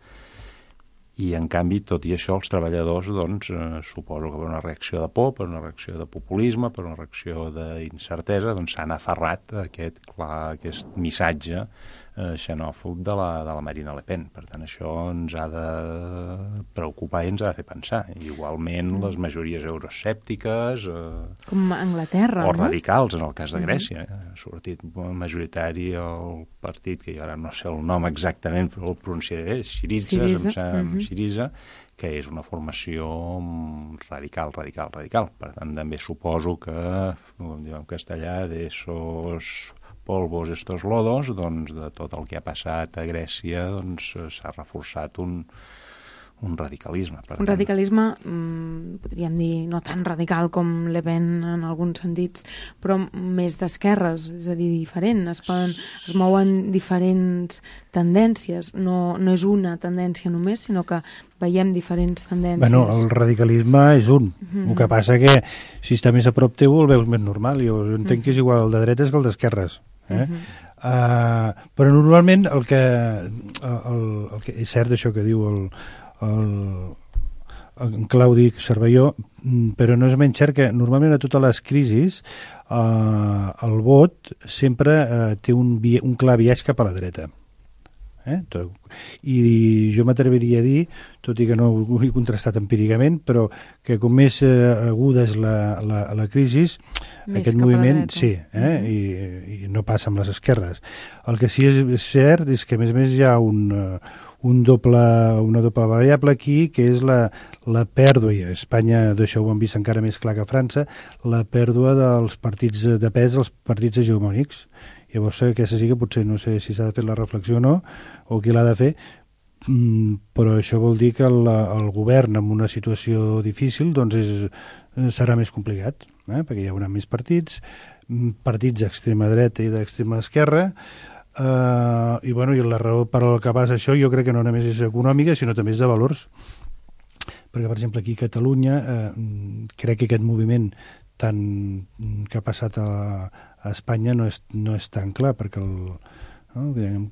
i en canvi, tot i això, els treballadors, doncs, eh, suposo que per una reacció de por, per una reacció de populisme, per una reacció d'incertesa, doncs s'han aferrat a aquest, clar, aquest missatge eh, xenòfob de la, de la Marine Le Pen. Per tant, això ens ha de preocupar i ens ha de fer pensar. Igualment, les majories euroescèptiques... Eh, Com a Anglaterra, o no? radicals, en el cas de Grècia. Eh? Ha sortit majoritari el partit, que jo ara no sé el nom exactament, però el pronunciaré, Syriza, Syriza. em Uh-huh. Syriza, que és una formació radical, radical, radical. Per tant, també suposo que, com diu en castellà, de esos polvos, estos lodos, doncs, de tot el que ha passat a Grècia, doncs, s'ha reforçat un, un radicalisme. Per Un tant, radicalisme, mmm, podríem dir, no tan radical com Le Pen en alguns sentits, però més d'esquerres, és a dir, diferent. Es, poden, es mouen diferents tendències. No, no és una tendència només, sinó que veiem diferents tendències. Bueno, el radicalisme és un. Mm-hmm. El que passa que si està més a prop teu el veus més normal. Jo entenc mm-hmm. que és igual el de dretes que el d'esquerres. Eh? Mm-hmm. Uh, però normalment el que, el, el que... És cert això que diu el El, en Claudi Cervelló, però no és menys cert que normalment a totes les crisis eh, el vot sempre eh, té un, un clar biaix cap a la dreta. Eh? I jo m'atreviria a dir, tot i que no ho he contrastat empíricament, però que com més eh, aguda és la, la, la crisi, més aquest moviment, sí, eh? Mm-hmm. I, i no passa amb les esquerres. El que sí és cert és que a més a més hi ha un... Un doble, una doble variable aquí, que és la, la pèrdua, i a Espanya d'això ho hem vist encara més clar que a França, la pèrdua dels partits de pes, dels partits hegemònics. Llavors aquesta sí que potser no sé si s'ha de fer la reflexió o no, o qui l'ha de fer, però això vol dir que el, el govern en una situació difícil doncs és, serà més complicat, eh? Perquè hi haurà més partits, partits d'extrema dreta i d'extrema esquerra. Uh, i, bueno, i la raó per al que passa això jo crec que no només és econòmica sinó també és de valors, perquè per exemple aquí a Catalunya uh, crec que aquest moviment tan, que ha passat a, a Espanya no és, no és tan clar, perquè el, no?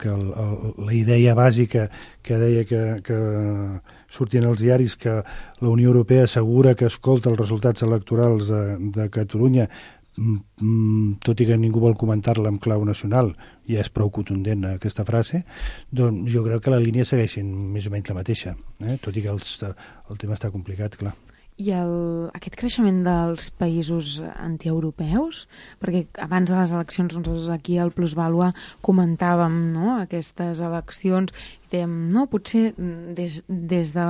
que el, el, la idea bàsica que deia que, que sortien els diaris que la Unió Europea assegura que escolta els resultats electorals de, de Catalunya, tot i que ningú vol comentar-la en clau nacional, ja és prou contundent aquesta frase, doncs jo crec que la línia segueix sent més o menys la mateixa, eh? Tot i que els, el tema està complicat, clar. I el, aquest creixement dels països antieuropeus, perquè abans de les eleccions nosaltres aquí al Plusvàlua comentàvem, no?, aquestes eleccions i dèiem, no, potser des, des de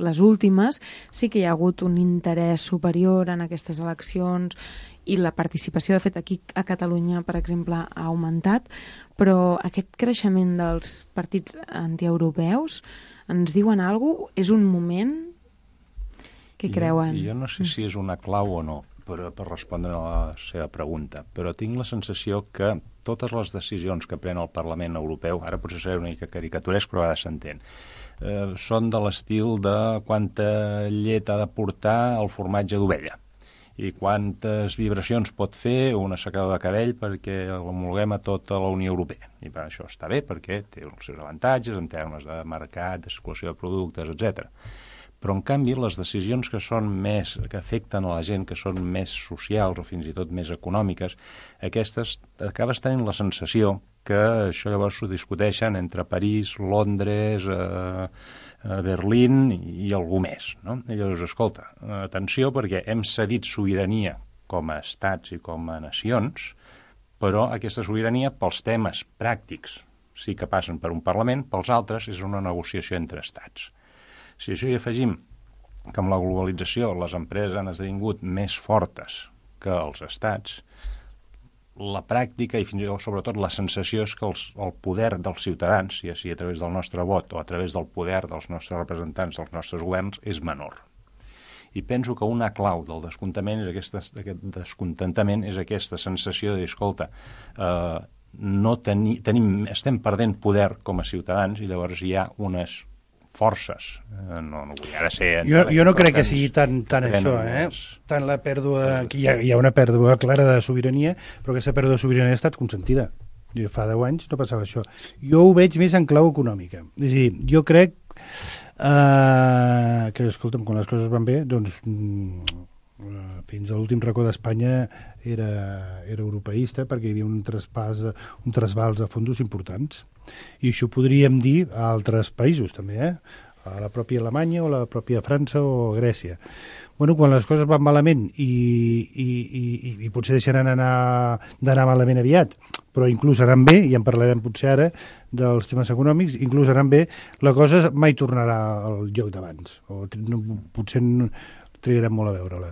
les últimes sí que hi ha hagut un interès superior en aquestes eleccions i la participació, de fet, aquí a Catalunya, per exemple, ha augmentat, però aquest creixement dels partits antieuropeus ens diuen alguna cosa? És un moment que creuen? Jo, jo no sé si és una clau o no per, per respondre a la seva pregunta, però tinc la sensació que totes les decisions que pren el Parlament Europeu, ara potser serà una mica caricaturesc, però a vegades s'entén, eh, són de l'estil de quanta llet ha de portar el formatge d'ovella i quantes vibracions pot fer una secadora de cabell perquè l'homologuem a tota la Unió Europea. I per això està bé, perquè té els seus avantatges en termes de mercat, de circulació de productes, etcètera. Però, en canvi, les decisions que són més, que afecten a la gent, que són més socials o fins i tot més econòmiques, aquestes acabes tenint la sensació que això llavors s'ho discuteixen entre París, Londres, eh, Berlín i algú més, no? I llavors, escolta, atenció, perquè hem cedit sobirania com a estats i com a nacions, però aquesta sobirania pels temes pràctics sí que passen per un Parlament, pels altres és una negociació entre estats. Si això hi afegim que amb la globalització les empreses han esdevingut més fortes que els estats, la pràctica i fins i tot sobretot la sensació és que els, el poder dels ciutadans, ja sigui a través del nostre vot o a través del poder dels nostres representants, dels nostres governs, és menor. I penso que una clau del descontentament és aquesta, aquest descontentament és aquesta sensació de dir, escolta, eh, no teni, tenim, estem perdent poder com a ciutadans i llavors hi ha unes forces. Eh, no, no vull ara ser... Jo, jo no crec que sigui tan, tan això, eh? Tant la pèrdua... Que hi ha, hi ha una pèrdua clara de sobirania, però aquesta pèrdua de sobirania ha estat consentida. Jo, fa deu anys no passava això. Jo ho veig més en clau econòmica. És a dir, jo crec eh, que, escolta'm, quan les coses van bé, doncs fins a l'últim racó d'Espanya era, era europeista perquè hi havia un traspàs, un trasbals a fondos importants. I això podríem dir a altres països també, eh? A la pròpia Alemanya o la pròpia França o Grècia. Bueno, quan les coses van malament i, i, i, i potser deixaran anar d'anar malament aviat, però inclús aran bé, i en parlarem potser ara dels temes econòmics, inclús aran bé, la cosa mai tornarà al lloc d'abans, o no, potser no, trigarem molt a veure-la.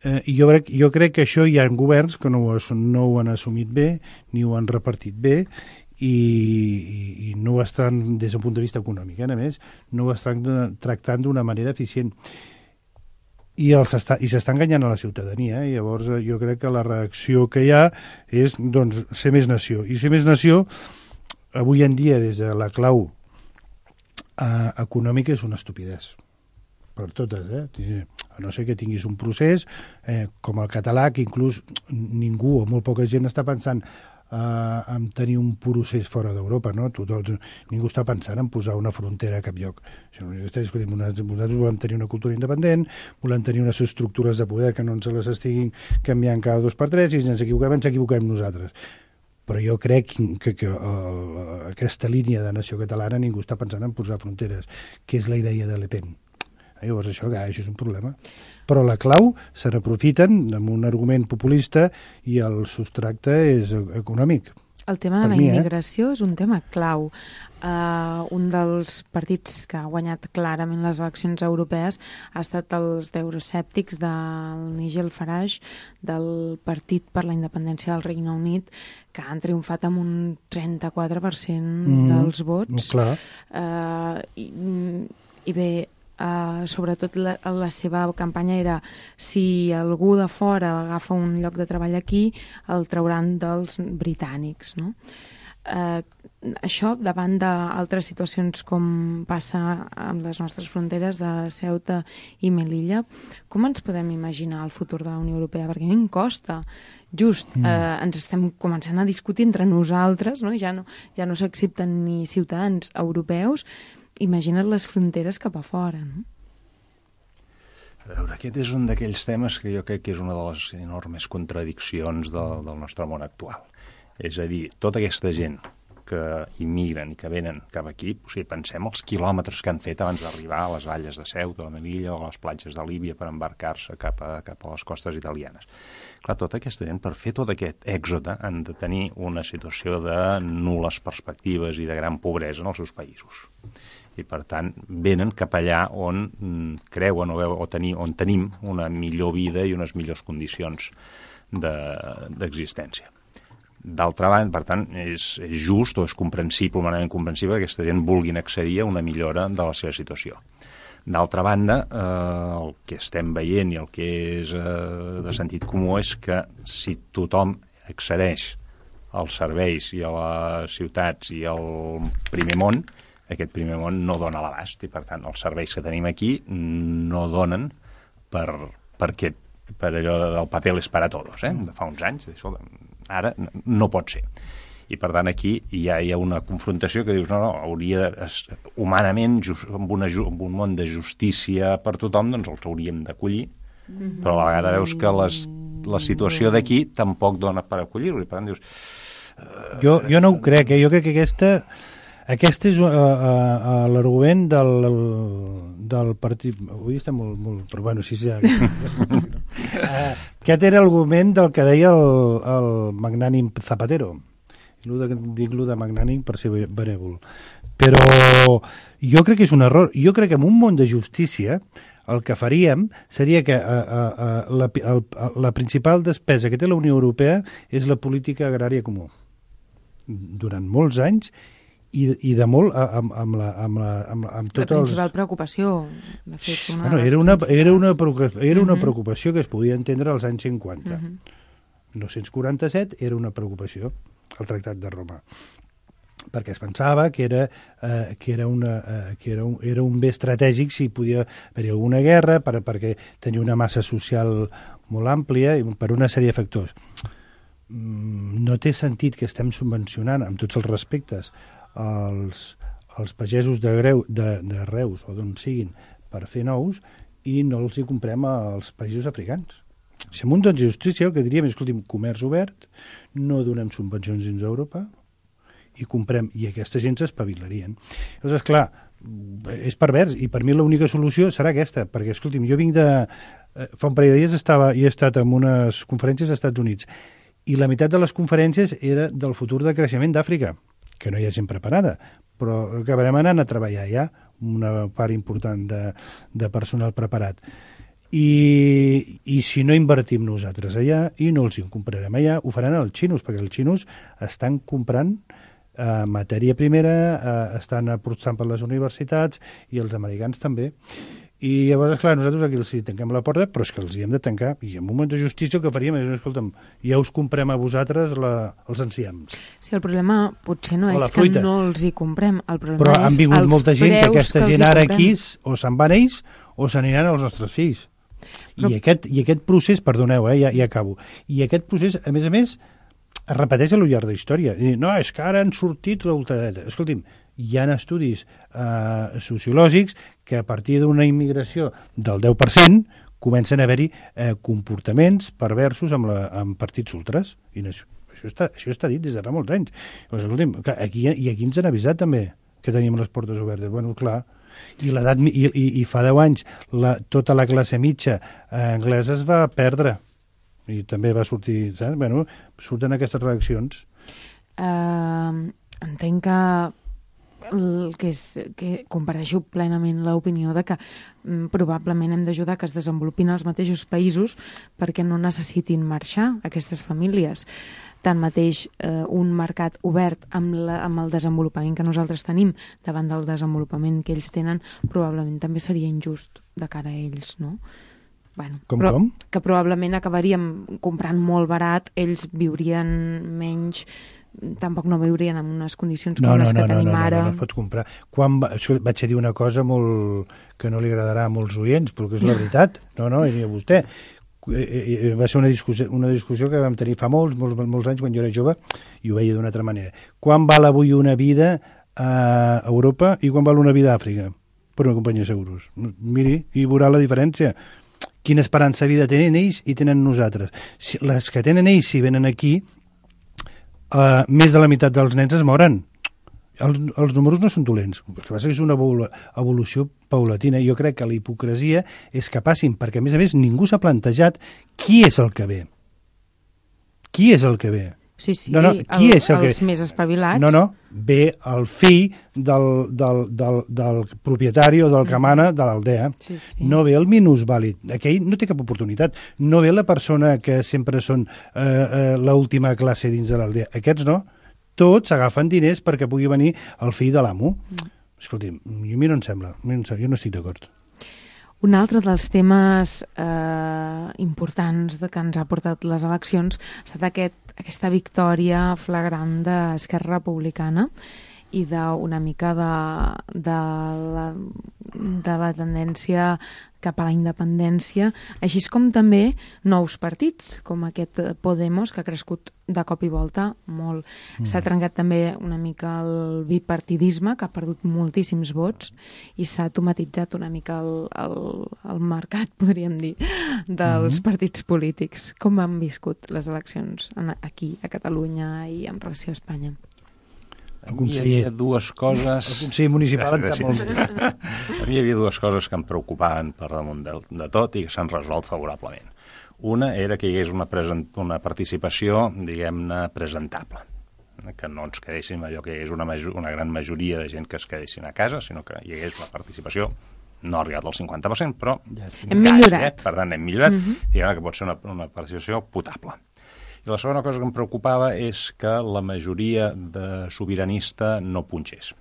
Eh, i jo crec, jo crec que això hi ha governs que no ho, no ho han assumit bé, ni ho han repartit bé, i, i, i no ho estan, des d'un punt de vista econòmic, eh, a més, no ho estan tractant d'una manera eficient. I s'està enganyant a la ciutadania, eh? Llavors jo crec que la reacció que hi ha és doncs, ser més nació. I ser més nació, avui en dia, des de la clau eh, econòmica, és una estupidesa. Per totes, eh? A no ser que tinguis un procés eh, com el català, que inclús ningú o molt poca gent està pensant Uh, en tenir un procés fora d'Europa, no? Tothom, ningú està pensant en posar una frontera a cap lloc. Nosaltres volem tenir una cultura independent, volem tenir unes estructures de poder que no ens les estiguin canviant cada dos per tres, i si ens equivoquem, ens equivoquem nosaltres. Però jo crec que, que uh, aquesta línia de nació catalana ningú està pensant en posar fronteres, que és la idea de Le Pen. Llavors això, això és un problema. Però la clau se n'aprofiten amb un argument populista i el substracte és econòmic. El tema de la mi, immigració eh? és un tema clau. Uh, un dels partits que ha guanyat clarament les eleccions europees ha estat els d'euroscèptics del Nigel Farage, del Partit per la Independència del Regne Unit, que han triomfat amb un trenta-quatre per cent mm, dels vots. Clar. Uh, i, I bé, Uh, sobretot la, la seva campanya era si algú de fora agafa un lloc de treball aquí, el trauran dels britànics, no? Uh, això davant d'altres situacions com passa amb les nostres fronteres de Ceuta i Melilla, com ens podem imaginar el futur de la Unió Europea? Perquè a mi em costa. Just mm. eh, ens estem començant a discutir entre nosaltres, no? Ja no, ja no s'accepten ni ciutadans europeus. Imagina't les fronteres cap a fora, no? A veure, aquest és un d'aquells temes que jo crec que és una de les enormes contradiccions de, del nostre món actual. És a dir, tota aquesta gent que immigren i que venen cap aquí, o sigui, pensem els quilòmetres que han fet abans d'arribar a les valles de Ceuta, de Melilla o a les platges de Líbia per embarcar-se cap a, cap a les costes italianes. Clar, tota aquesta gent, per fer tot aquest èxode, han de tenir una situació de nul·les perspectives i de gran pobresa en els seus països. I, per tant, venen cap allà on mm, creuen o, veu, o tenir, on tenim una millor vida i unes millors condicions d'existència. De, D'altra banda, per tant, és, és just o és comprensible, humanament comprensible, que aquesta gent vulguin accedir a una millora de la seva situació. D'altra banda, eh, el que estem veient i el que és eh, de sentit comú és que si tothom accedeix als serveis i a les ciutats i al primer món, aquest primer món no dona l'abast i, per tant, els serveis que tenim aquí no donen per, perquè, per allò del paper és para todos, eh? De fa uns anys. Ara no pot ser. I, per tant, aquí hi ha, hi ha una confrontació que dius, no, no, hauria, humanament, just, amb, una, amb un món de justícia per tothom, doncs els hauríem d'acollir, mm-hmm. però a la vegada veus que les, la situació d'aquí tampoc dona per acollir-ho. I, per tant, dius... Uh, jo, jo no ho crec, eh? Jo crec que aquesta... Aquest és uh, uh, l'argument del, del partit... Avui està molt... molt però bueno, sí, sí. uh, aquest era l'argument del que deia el, el magnànim Zapatero. Dic-lo de magnànim per ser benèvol. Però jo crec que és un error. Jo crec que en un món de justícia el que faríem seria que a, a, a, la, a, a, la principal despesa que té la Unió Europea és la política agrària comú. Durant molts anys i, i de molt amb, amb, la, amb, la, amb, amb tots la principal els... preocupació, de fet, una bueno, de les era, una, era, una, era una uh-huh. preocupació que es podia entendre als anys cinquanta. Uh-huh. nou-cents quaranta-set era una preocupació, el Tractat de Roma, perquè es pensava que era, eh, que era, una, eh, que era, un, era un bé estratègic si podia haver-hi alguna guerra, per, perquè tenia una massa social molt àmplia i per una sèrie de factors. Mm, no té sentit que estem subvencionant, amb tots els respectes, els, els pagesos de, greu, de, de Reus o d'on siguin per fer nous i no els hi comprem als països africans. Si amb un don de justícia el que diríem és, escolti'm, comerç obert, no donem subvencions dins d'Europa, i comprem, i aquesta gent s'espavilarien. Llavors, clar, és pervers, i per mi l'única solució serà aquesta, perquè, escolti'm, jo vinc de... Fa un parell de dies estava, i he estat en unes conferències als Estats Units, i la meitat de les conferències era del futur de creixement d'Àfrica, que no hi ha gent preparada, però acabarem anant a treballar ja, una part important de, de personal preparat. I, i si no invertim nosaltres allà i no els hi comprarem allà, ho faran els xinos, perquè els xinos estan comprant Uh, matèria primera, uh, estan aportant per les universitats i els americans també. I llavors, esclar, nosaltres aquí els hi tanquem la porta, però és que els hi hem de tancar. I en un moment de justícia el que faríem és, escolta'm, ja us comprem a vosaltres la, els enciams. Sí, el problema potser no o és que no els hi comprem, el problema però és han vingut els molta gent que aquesta que gent ara comprem. aquí o se'n van ells o s'aniran als nostres fills. Però... I, aquest, I aquest procés, perdoneu, eh, ja, ja acabo, i aquest procés, a més a més, es repeteix a lo llarg de la història. I, no, és que ara han sortit la ultradreta. Escolti'm, hi ha estudis eh, sociològics que a partir d'una immigració del deu per cent comencen a haver-hi eh, comportaments perversos amb, la, amb partits ultras. I no, això, està, això està dit des de fa molts anys. Doncs, escolti'm, aquí, i aquí ens han avisat també que teníem les portes obertes. Bueno, clar, i, l'edat, i, i, i fa deu anys la, tota la classe mitja eh, anglesa es va perdre. I també va sortir, saps? Bueno, surten aquestes reaccions. Uh, entenc que, el que, és, que comparteixo plenament l'opinió de que um, probablement hem d'ajudar que es desenvolupin els mateixos països perquè no necessitin marxar aquestes famílies. Tanmateix, eh, un mercat obert amb, la, amb el desenvolupament que nosaltres tenim davant del desenvolupament que ells tenen probablement també seria injust de cara a ells, no? Bueno, com, però, com? Que probablement acabaríem comprant molt barat, ells viurien menys, tampoc no viurien en unes condicions com no, no, les que no, tenim no, no, ara. No, no, no es pot comprar. Quan va, això vaig a dir una cosa molt que no li agradarà a molts oients, però que és la veritat. No, no, i a vostè. Va ser una discussió, una discussió que vam tenir fa molts, molts, molts anys quan jo era jove i ho veia d'una altra manera. Quan val avui una vida a Europa i quan val una vida a Àfrica? Per una companyia de seguros. Miri, i veurà la diferència. Quina esperança de vida tenen ells i tenen nosaltres. Si, les que tenen ells, si venen aquí, uh, més de la meitat dels nens es moren. Els, els números no són dolents. El que passa és una evolució paulatina. Jo crec que la hipocresia és que passin, perquè, a més a més, ningú s'ha plantejat qui és el que ve. Qui és el que ve? Sí, sí, no, no, qui el, és el els que... més espavilats. No, no, ve el fill del, del, del, del propietari o del que mana de l'aldea. Sí, sí. No ve el minusvàlid. Aquell no té cap oportunitat. No ve la persona que sempre són eh, eh, l'última classe dins de l'aldea. Aquests no. Tots agafen diners perquè pugui venir el fill de l'amo. Mm. Escolti'm, a mi no em sembla. A mi no em sembla. Jo no estic d'acord. Un altre dels temes eh, importants de que ens ha portat les eleccions ha estat aquest, aquesta victòria flagrant d'Esquerra Republicana i d'una mica de, de, la, de la tendència cap a la independència, així com també nous partits, com aquest Podemos, que ha crescut de cop i volta molt. Mm. S'ha trencat també una mica el bipartidisme, que ha perdut moltíssims vots, i s'ha automatitzat una mica el, el, el mercat, podríem dir, dels mm. partits polítics. Com han viscut les eleccions aquí, a Catalunya i en relació a Espanya? A mi hi havia dues coses... El Consell Municipal en sap molt bé. A mi hi havia dues coses que em preocupaven per damunt de, de tot i que s'han resolt favorablement. Una era que hi hagués una, present, una participació, diguem-ne, presentable. Que no ens quedéssim allò que és una, major, una gran majoria de gent que es quedessin a casa, sinó que hi hagués una participació no ha arribat al cinquanta per cent, però ja hem quasi, millorat. Eh? Per tant, hem millorat, uh-huh. diguem que pot ser una, una participació potable. I la segona cosa que em preocupava és que la majoria de sobiranista no punxés.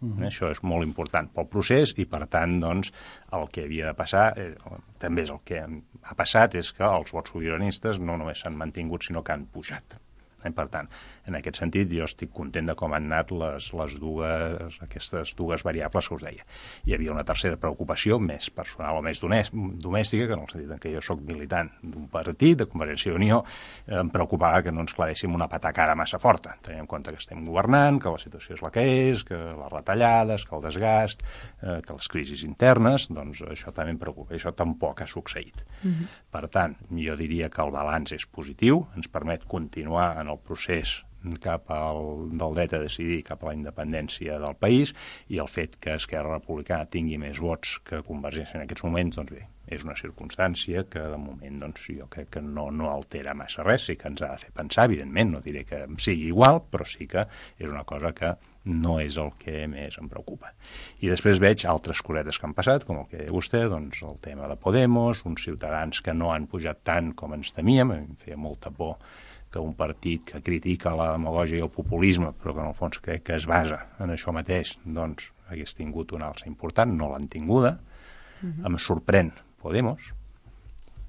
Uh-huh. Això és molt important pel procés i, per tant, doncs, el que havia de passar, eh, també és el que ha passat, és que els vots sobiranistes no només s'han mantingut, sinó que han pujat. Eh, per tant, en aquest sentit, jo estic content de com han anat les, les dues, aquestes dues variables que us deia. Hi havia una tercera preocupació, més personal o més domèstica, que en el sentit que jo sóc militant d'un partit, de Convergència i Unió, eh, em preocupava que no ens clavéssim una patacada massa forta. Tenim en compte que estem governant, que la situació és la que és, que les retallades, que el desgast, eh, que les crisis internes, doncs això també em preocupa. Això tampoc ha succeït. Mm-hmm. Per tant, jo diria que el balanç és positiu, ens permet continuar en el procés cap al, del dret a decidir cap a la independència del país, i el fet que Esquerra Republicana tingui més vots que Convergència en aquests moments, doncs bé, és una circumstància que de moment doncs, jo crec que no, no altera massa res, sí que ens ha de fer pensar, evidentment, no diré que sigui igual, però sí que és una cosa que no és el que més em preocupa. I després veig altres cosetes que han passat, com el que deia vostè, doncs el tema de Podemos, uns ciutadans que no han pujat tant com ens temíem, em feia molta por que un partit que critica la demagògia i el populisme, però que en el fons crec que es basa en això mateix, doncs hagués tingut una alça important, no l'han tinguda. Uh-huh. Em sorprèn Podemos,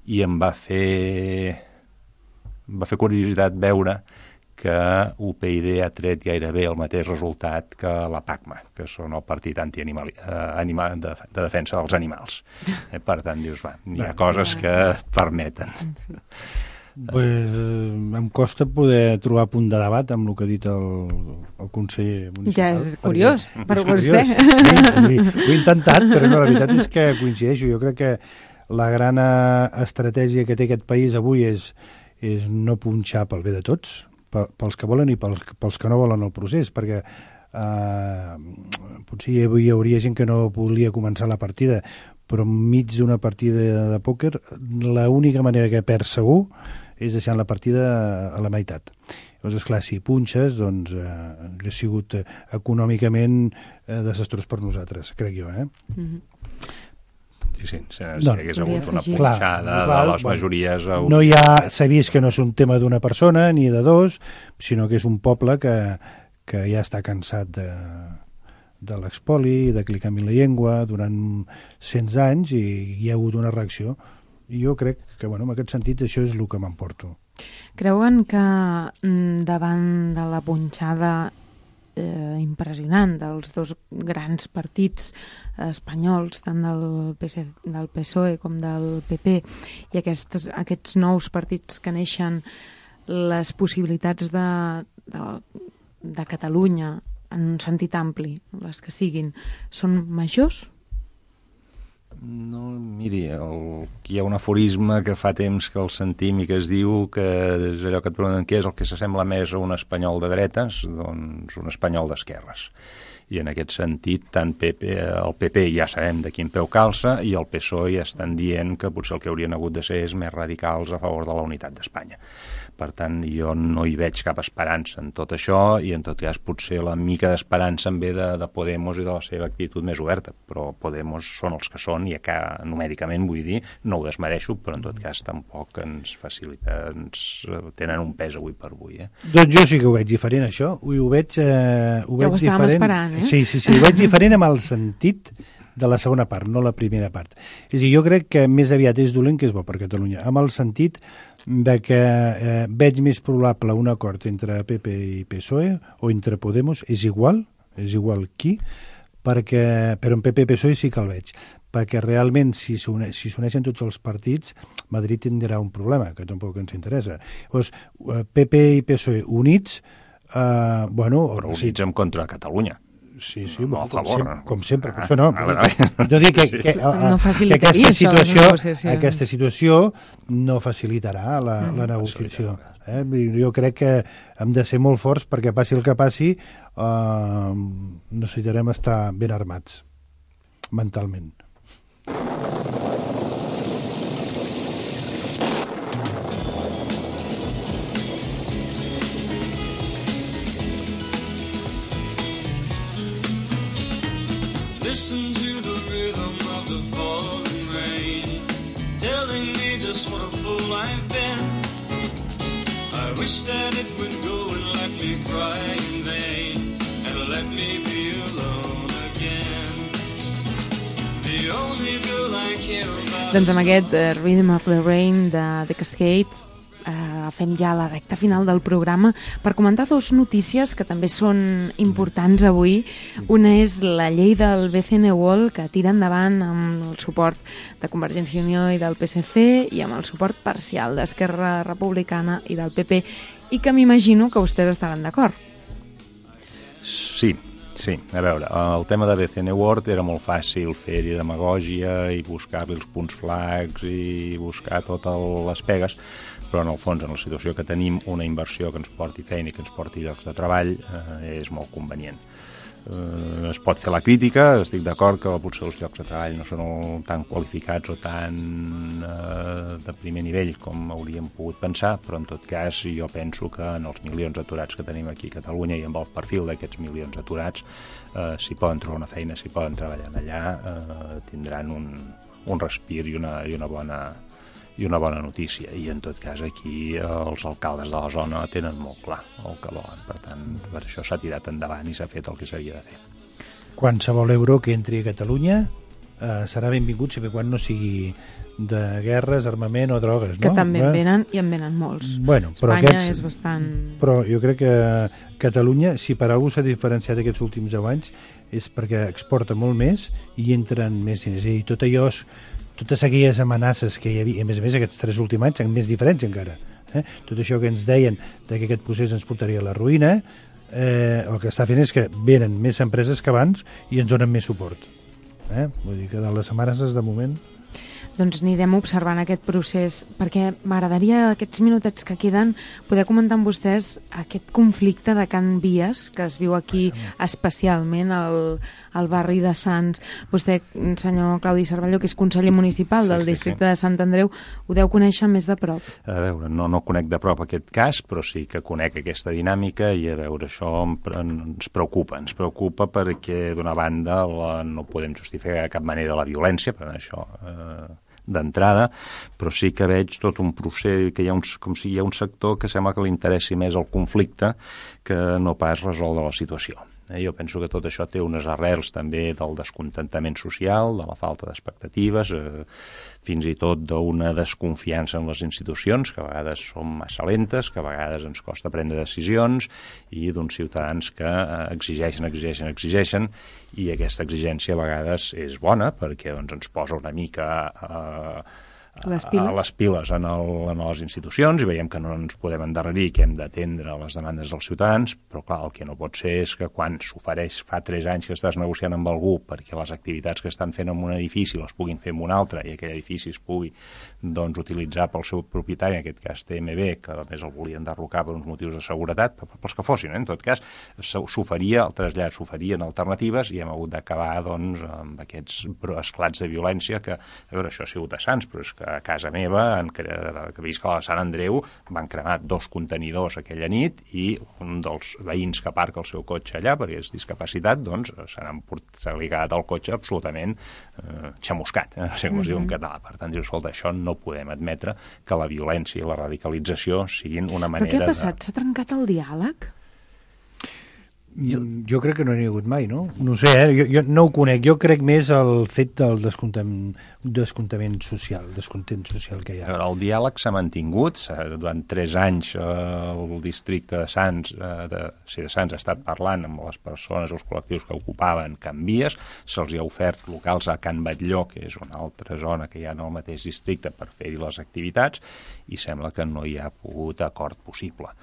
i em va fer em va fer curiositat veure que U P y ha tret gairebé el mateix resultat que la PACMA, que són el partit anti-animal, eh, animal, de, de defensa dels animals. Eh, per tant, dius, va, hi ha coses que et permeten. Sí. Pues, eh, em costa poder trobar punt de debat amb el que ha dit el, el conseller municipal. Ja és curiós, perquè, per vostè. Sí, sí, ho he intentat, però no, la veritat és que coincideixo. Jo crec que la gran estratègia que té aquest país avui és, és no punxar pel bé de tots, pels que volen i pels, pels que no volen el procés, perquè eh, potser hi hauria gent que no volia començar la partida, però enmig d'una partida de pòquer l'única manera que perd segur és deixant la partida a la meitat. Llavors, esclar, si punxes, doncs eh, hauria sigut eh, econòmicament eh, desastrós per nosaltres, crec jo, eh? Mm-hmm. Sí, sí, si, si no, hagués hagut una punxada de les majories... Bueno, no hi ha, s'ha vist que no és un tema d'una persona ni de dos, sinó que és un poble que, que ja està cansat de, de l'expoli, de clicar en la llengua durant cent anys, i hi ha hagut una reacció. I jo crec que, bueno, en aquest sentit, això és el que m'emporto. Creuen que davant de la punxada eh, impressionant dels dos grans partits espanyols, tant del, P S, del P S O E com del P P, i aquests, aquests nous partits que neixen, les possibilitats de, de, de Catalunya, en un sentit ampli, les que siguin, són majors? No, miri, el, hi ha un aforisme que fa temps que el sentim i que es diu que és allò que et pregunten què és el que s'assembla més a un espanyol de dretes, doncs un espanyol d'esquerres. I en aquest sentit, tant P P, el P P ja sabem de quin peu calça, i el P S O E ja estan dient que potser el que haurien hagut de ser és més radicals a favor de la unitat d'Espanya. Per tant, jo no hi veig cap esperança en tot això, i en tot cas potser la mica d'esperança em ve de, de Podemos i de la seva actitud més oberta, però Podemos són els que són, i que numèricament, vull dir, no ho desmereixo, però en tot cas tampoc ens facilita, ens tenen un pes avui per avui. Eh? Doncs jo sí que ho veig diferent, això, ho, ho veig, eh, ho veig ja ho diferent. Esperant, eh? Sí, sí, sí, ho veig diferent amb el sentit de la segona part, no la primera part. És a dir, jo crec que més aviat és dolent que és bo per Catalunya, amb el sentit de que eh, veig més probable un acord entre P P i P S O E o entre Podemos, és igual, és igual qui, perquè, però en P P i P S O E sí que el veig, perquè realment si s'uneixen si tots els partits, Madrid tindrà un problema, que tampoc ens interessa. Llavors, P P i P S O E units, eh, bueno... Però units sí, en contra de Catalunya. Sí, sí, no, bueno, a favor. Com, com sempre, ah, per això no. Ah, jo dic que, que, que, no que aquesta, situació, aquesta situació no facilitarà la, mm. la negociació. Eh? Jo crec que hem de ser molt forts perquè passi el que passi, eh, necessitarem estar ben armats mentalment. Listen to the rhythm of of the falling rain, telling me just what a fool I've been. I wish that it would go and let me cry in vain, and let me be alone again. The only girl I care about. Doncs amb aquest uh, Rhythm of the Rain de The Cascades uh, fem ja la recta final del programa per comentar dos notícies que també són importants avui. Una és la llei del B C N World, que tira endavant amb el suport de Convergència i Unió i del P S C i amb el suport parcial d'Esquerra Republicana i del P P, i que m'imagino que vostès estaran d'acord. Sí, sí. A veure, el tema de B C N World era molt fàcil fer-hi demagògia i buscar-li els punts flacs i buscar totes les pegues, però en el fons, en la situació que tenim, una inversió que ens porti feina i que ens porti llocs de treball eh, és molt convenient. Eh, es pot fer la crítica, estic d'acord que potser els llocs de treball no són tan qualificats o tan eh, de primer nivell com hauríem pogut pensar, però en tot cas jo penso que en els milions d'aturats que tenim aquí a Catalunya i amb el perfil d'aquests milions d'aturats, eh, si poden trobar una feina, si poden treballar allà, eh, tindran un, un respir i una, i una bona i una bona notícia, i en tot cas aquí els alcaldes de la zona tenen molt clar el que volen, per tant per això s'ha tirat endavant i s'ha fet el que s'havia de fer. Qualsevol euro que entri a Catalunya eh, serà benvingut sempre quan no sigui de guerres, armament o drogues, no? Que també en eh? venen, i en venen molts. Bueno, però Espanya aquests, és bastant... Però jo crec que Catalunya, si per alguna cosa s'ha diferenciat aquests últims deu anys, és perquè exporta molt més i entren més diners. I tot allò és totes aquelles amenaces que hi havia, a més a més aquests tres últims anys, amb més diferència encara, eh? Tot això que ens deien que aquest procés ens portaria a la ruïna, eh, el que està fent és que venen més empreses que abans i ens donen més suport. Eh? Vull dir que de les amenaces, de moment... Doncs anirem observant aquest procés, perquè m'agradaria aquests minutets que queden poder comentar amb vostès aquest conflicte de Can Vies, que es viu aquí especialment al, al barri de Sants. Vostè, senyor Claudi Cervelló, que és conseller municipal del districte de Sant Andreu, ho deu conèixer més de prop. A veure, no, no conec de prop aquest cas, però sí que conec aquesta dinàmica i a veure, això ens preocupa. Ens preocupa perquè, d'una banda, la, no podem justificar de cap manera la violència, per això... Eh, d'entrada, però sí que veig tot un procés, que hi ha un, com si hi ha un sector que sembla que li interessi més el conflicte que no pas resoldre la situació. Eh, jo penso que tot això té unes arrels també del descontentament social, de la falta d'expectatives, eh, fins i tot d'una desconfiança en les institucions, que a vegades són massa lentes, que a vegades ens costa prendre decisions, i d'uns ciutadans que eh, exigeixen, exigeixen, exigeixen, i aquesta exigència a vegades és bona, perquè doncs, ens posa una mica... Eh, les piles, a les piles en, el, en les institucions i veiem que no ens podem endarrerir, que hem d'atendre les demandes dels ciutadans, però clar, el que no pot ser és que quan s'ofereix fa tres anys que estàs negociant amb algú perquè les activitats que estan fent en un edifici les puguin fer en un altre i aquell edifici es pugui doncs, utilitzar pel seu propietari, en aquest cas T M B, que a més el volien derrocar per uns motius de seguretat, pels que fossin, eh? En tot cas s'oferia, el trasllat s'oferien alternatives i hem hagut d'acabar doncs, amb aquests esclats de violència que, a veure, això ha sigut a Sants, però és que a casa meva, en, que visc a Sant Andreu, van cremar dos contenidors aquella nit i un dels veïns que aparca el seu cotxe allà, perquè és discapacitat, doncs s'ha ligat el cotxe absolutament eh, xamuscat, eh? No sé com es diu en català. Per tant, diu, escolta, això no podem admetre que la violència i la radicalització siguin una manera de... Però què ha passat? De... S'ha trencat el diàleg? Jo, jo crec que no n'hi ha hagut mai, no? No sé, eh? jo, jo no ho conec. Jo crec més el fet del descontament, descontament social, descontent social que hi ha. El diàleg s'ha mantingut. Durant tres anys eh, el districte de Sants, eh, de, sí, de Sants ha estat parlant amb les persones, els col·lectius que ocupaven Can Vies. Se'ls hi ha ofert locals a Can Batlló, que és una altra zona que hi ha en el mateix districte, per fer-hi les activitats, i sembla que no hi ha pogut acord possible.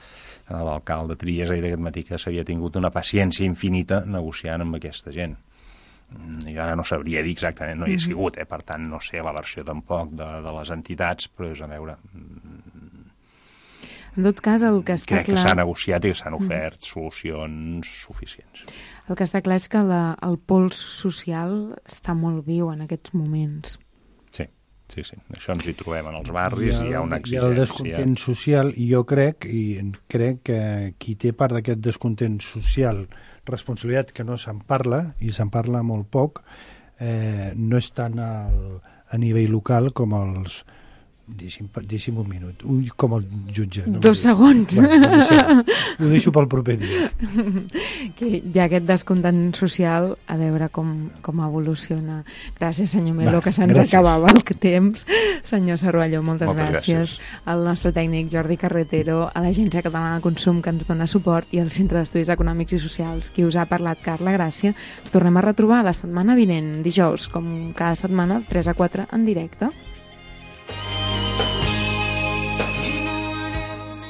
L'alcalde Trias ha dit aquest matí que s'havia tingut una paciència infinita negociant amb aquesta gent. Jo ara no sabria dir exactament, no hi he sigut, eh? Per tant no sé la versió tampoc de, de les entitats, però és a veure... En tot cas, el que està crec clar... que s'ha negociat i que s'han ofert solucions suficients. El que està clar és que la, el pols social està molt viu en aquests moments. Sí. Sí, sí, això ens hi trobem en els barris i, el, hi ha una exigència. Hi ha el descontent social i jo crec, i crec que qui té part d'aquest descontent social, responsabilitat que no se'n parla, i se'n parla molt poc, eh, no és tant al, a nivell local com els... Deixi'm, deixi'm un minut. Un, com el jutge. No? Dos segons. Bueno, ho, deixo, ho deixo pel proper dia. Que hi ha aquest descontent social, a veure com, com evoluciona. Gràcies, senyor Melo, Va, que se'ns gràcies. acabava el temps. Senyor Cervelló, moltes, Moltes gràcies. gràcies. Al nostre tècnic Jordi Carretero, a l'Agència Catalana de Consum, que ens dona suport, i al Centre d'Estudis Econòmics i Socials, qui us ha parlat, Carla Gràcia. Ens tornem a retrobar la setmana vinent, dijous, com cada setmana, tres a quatre en directe.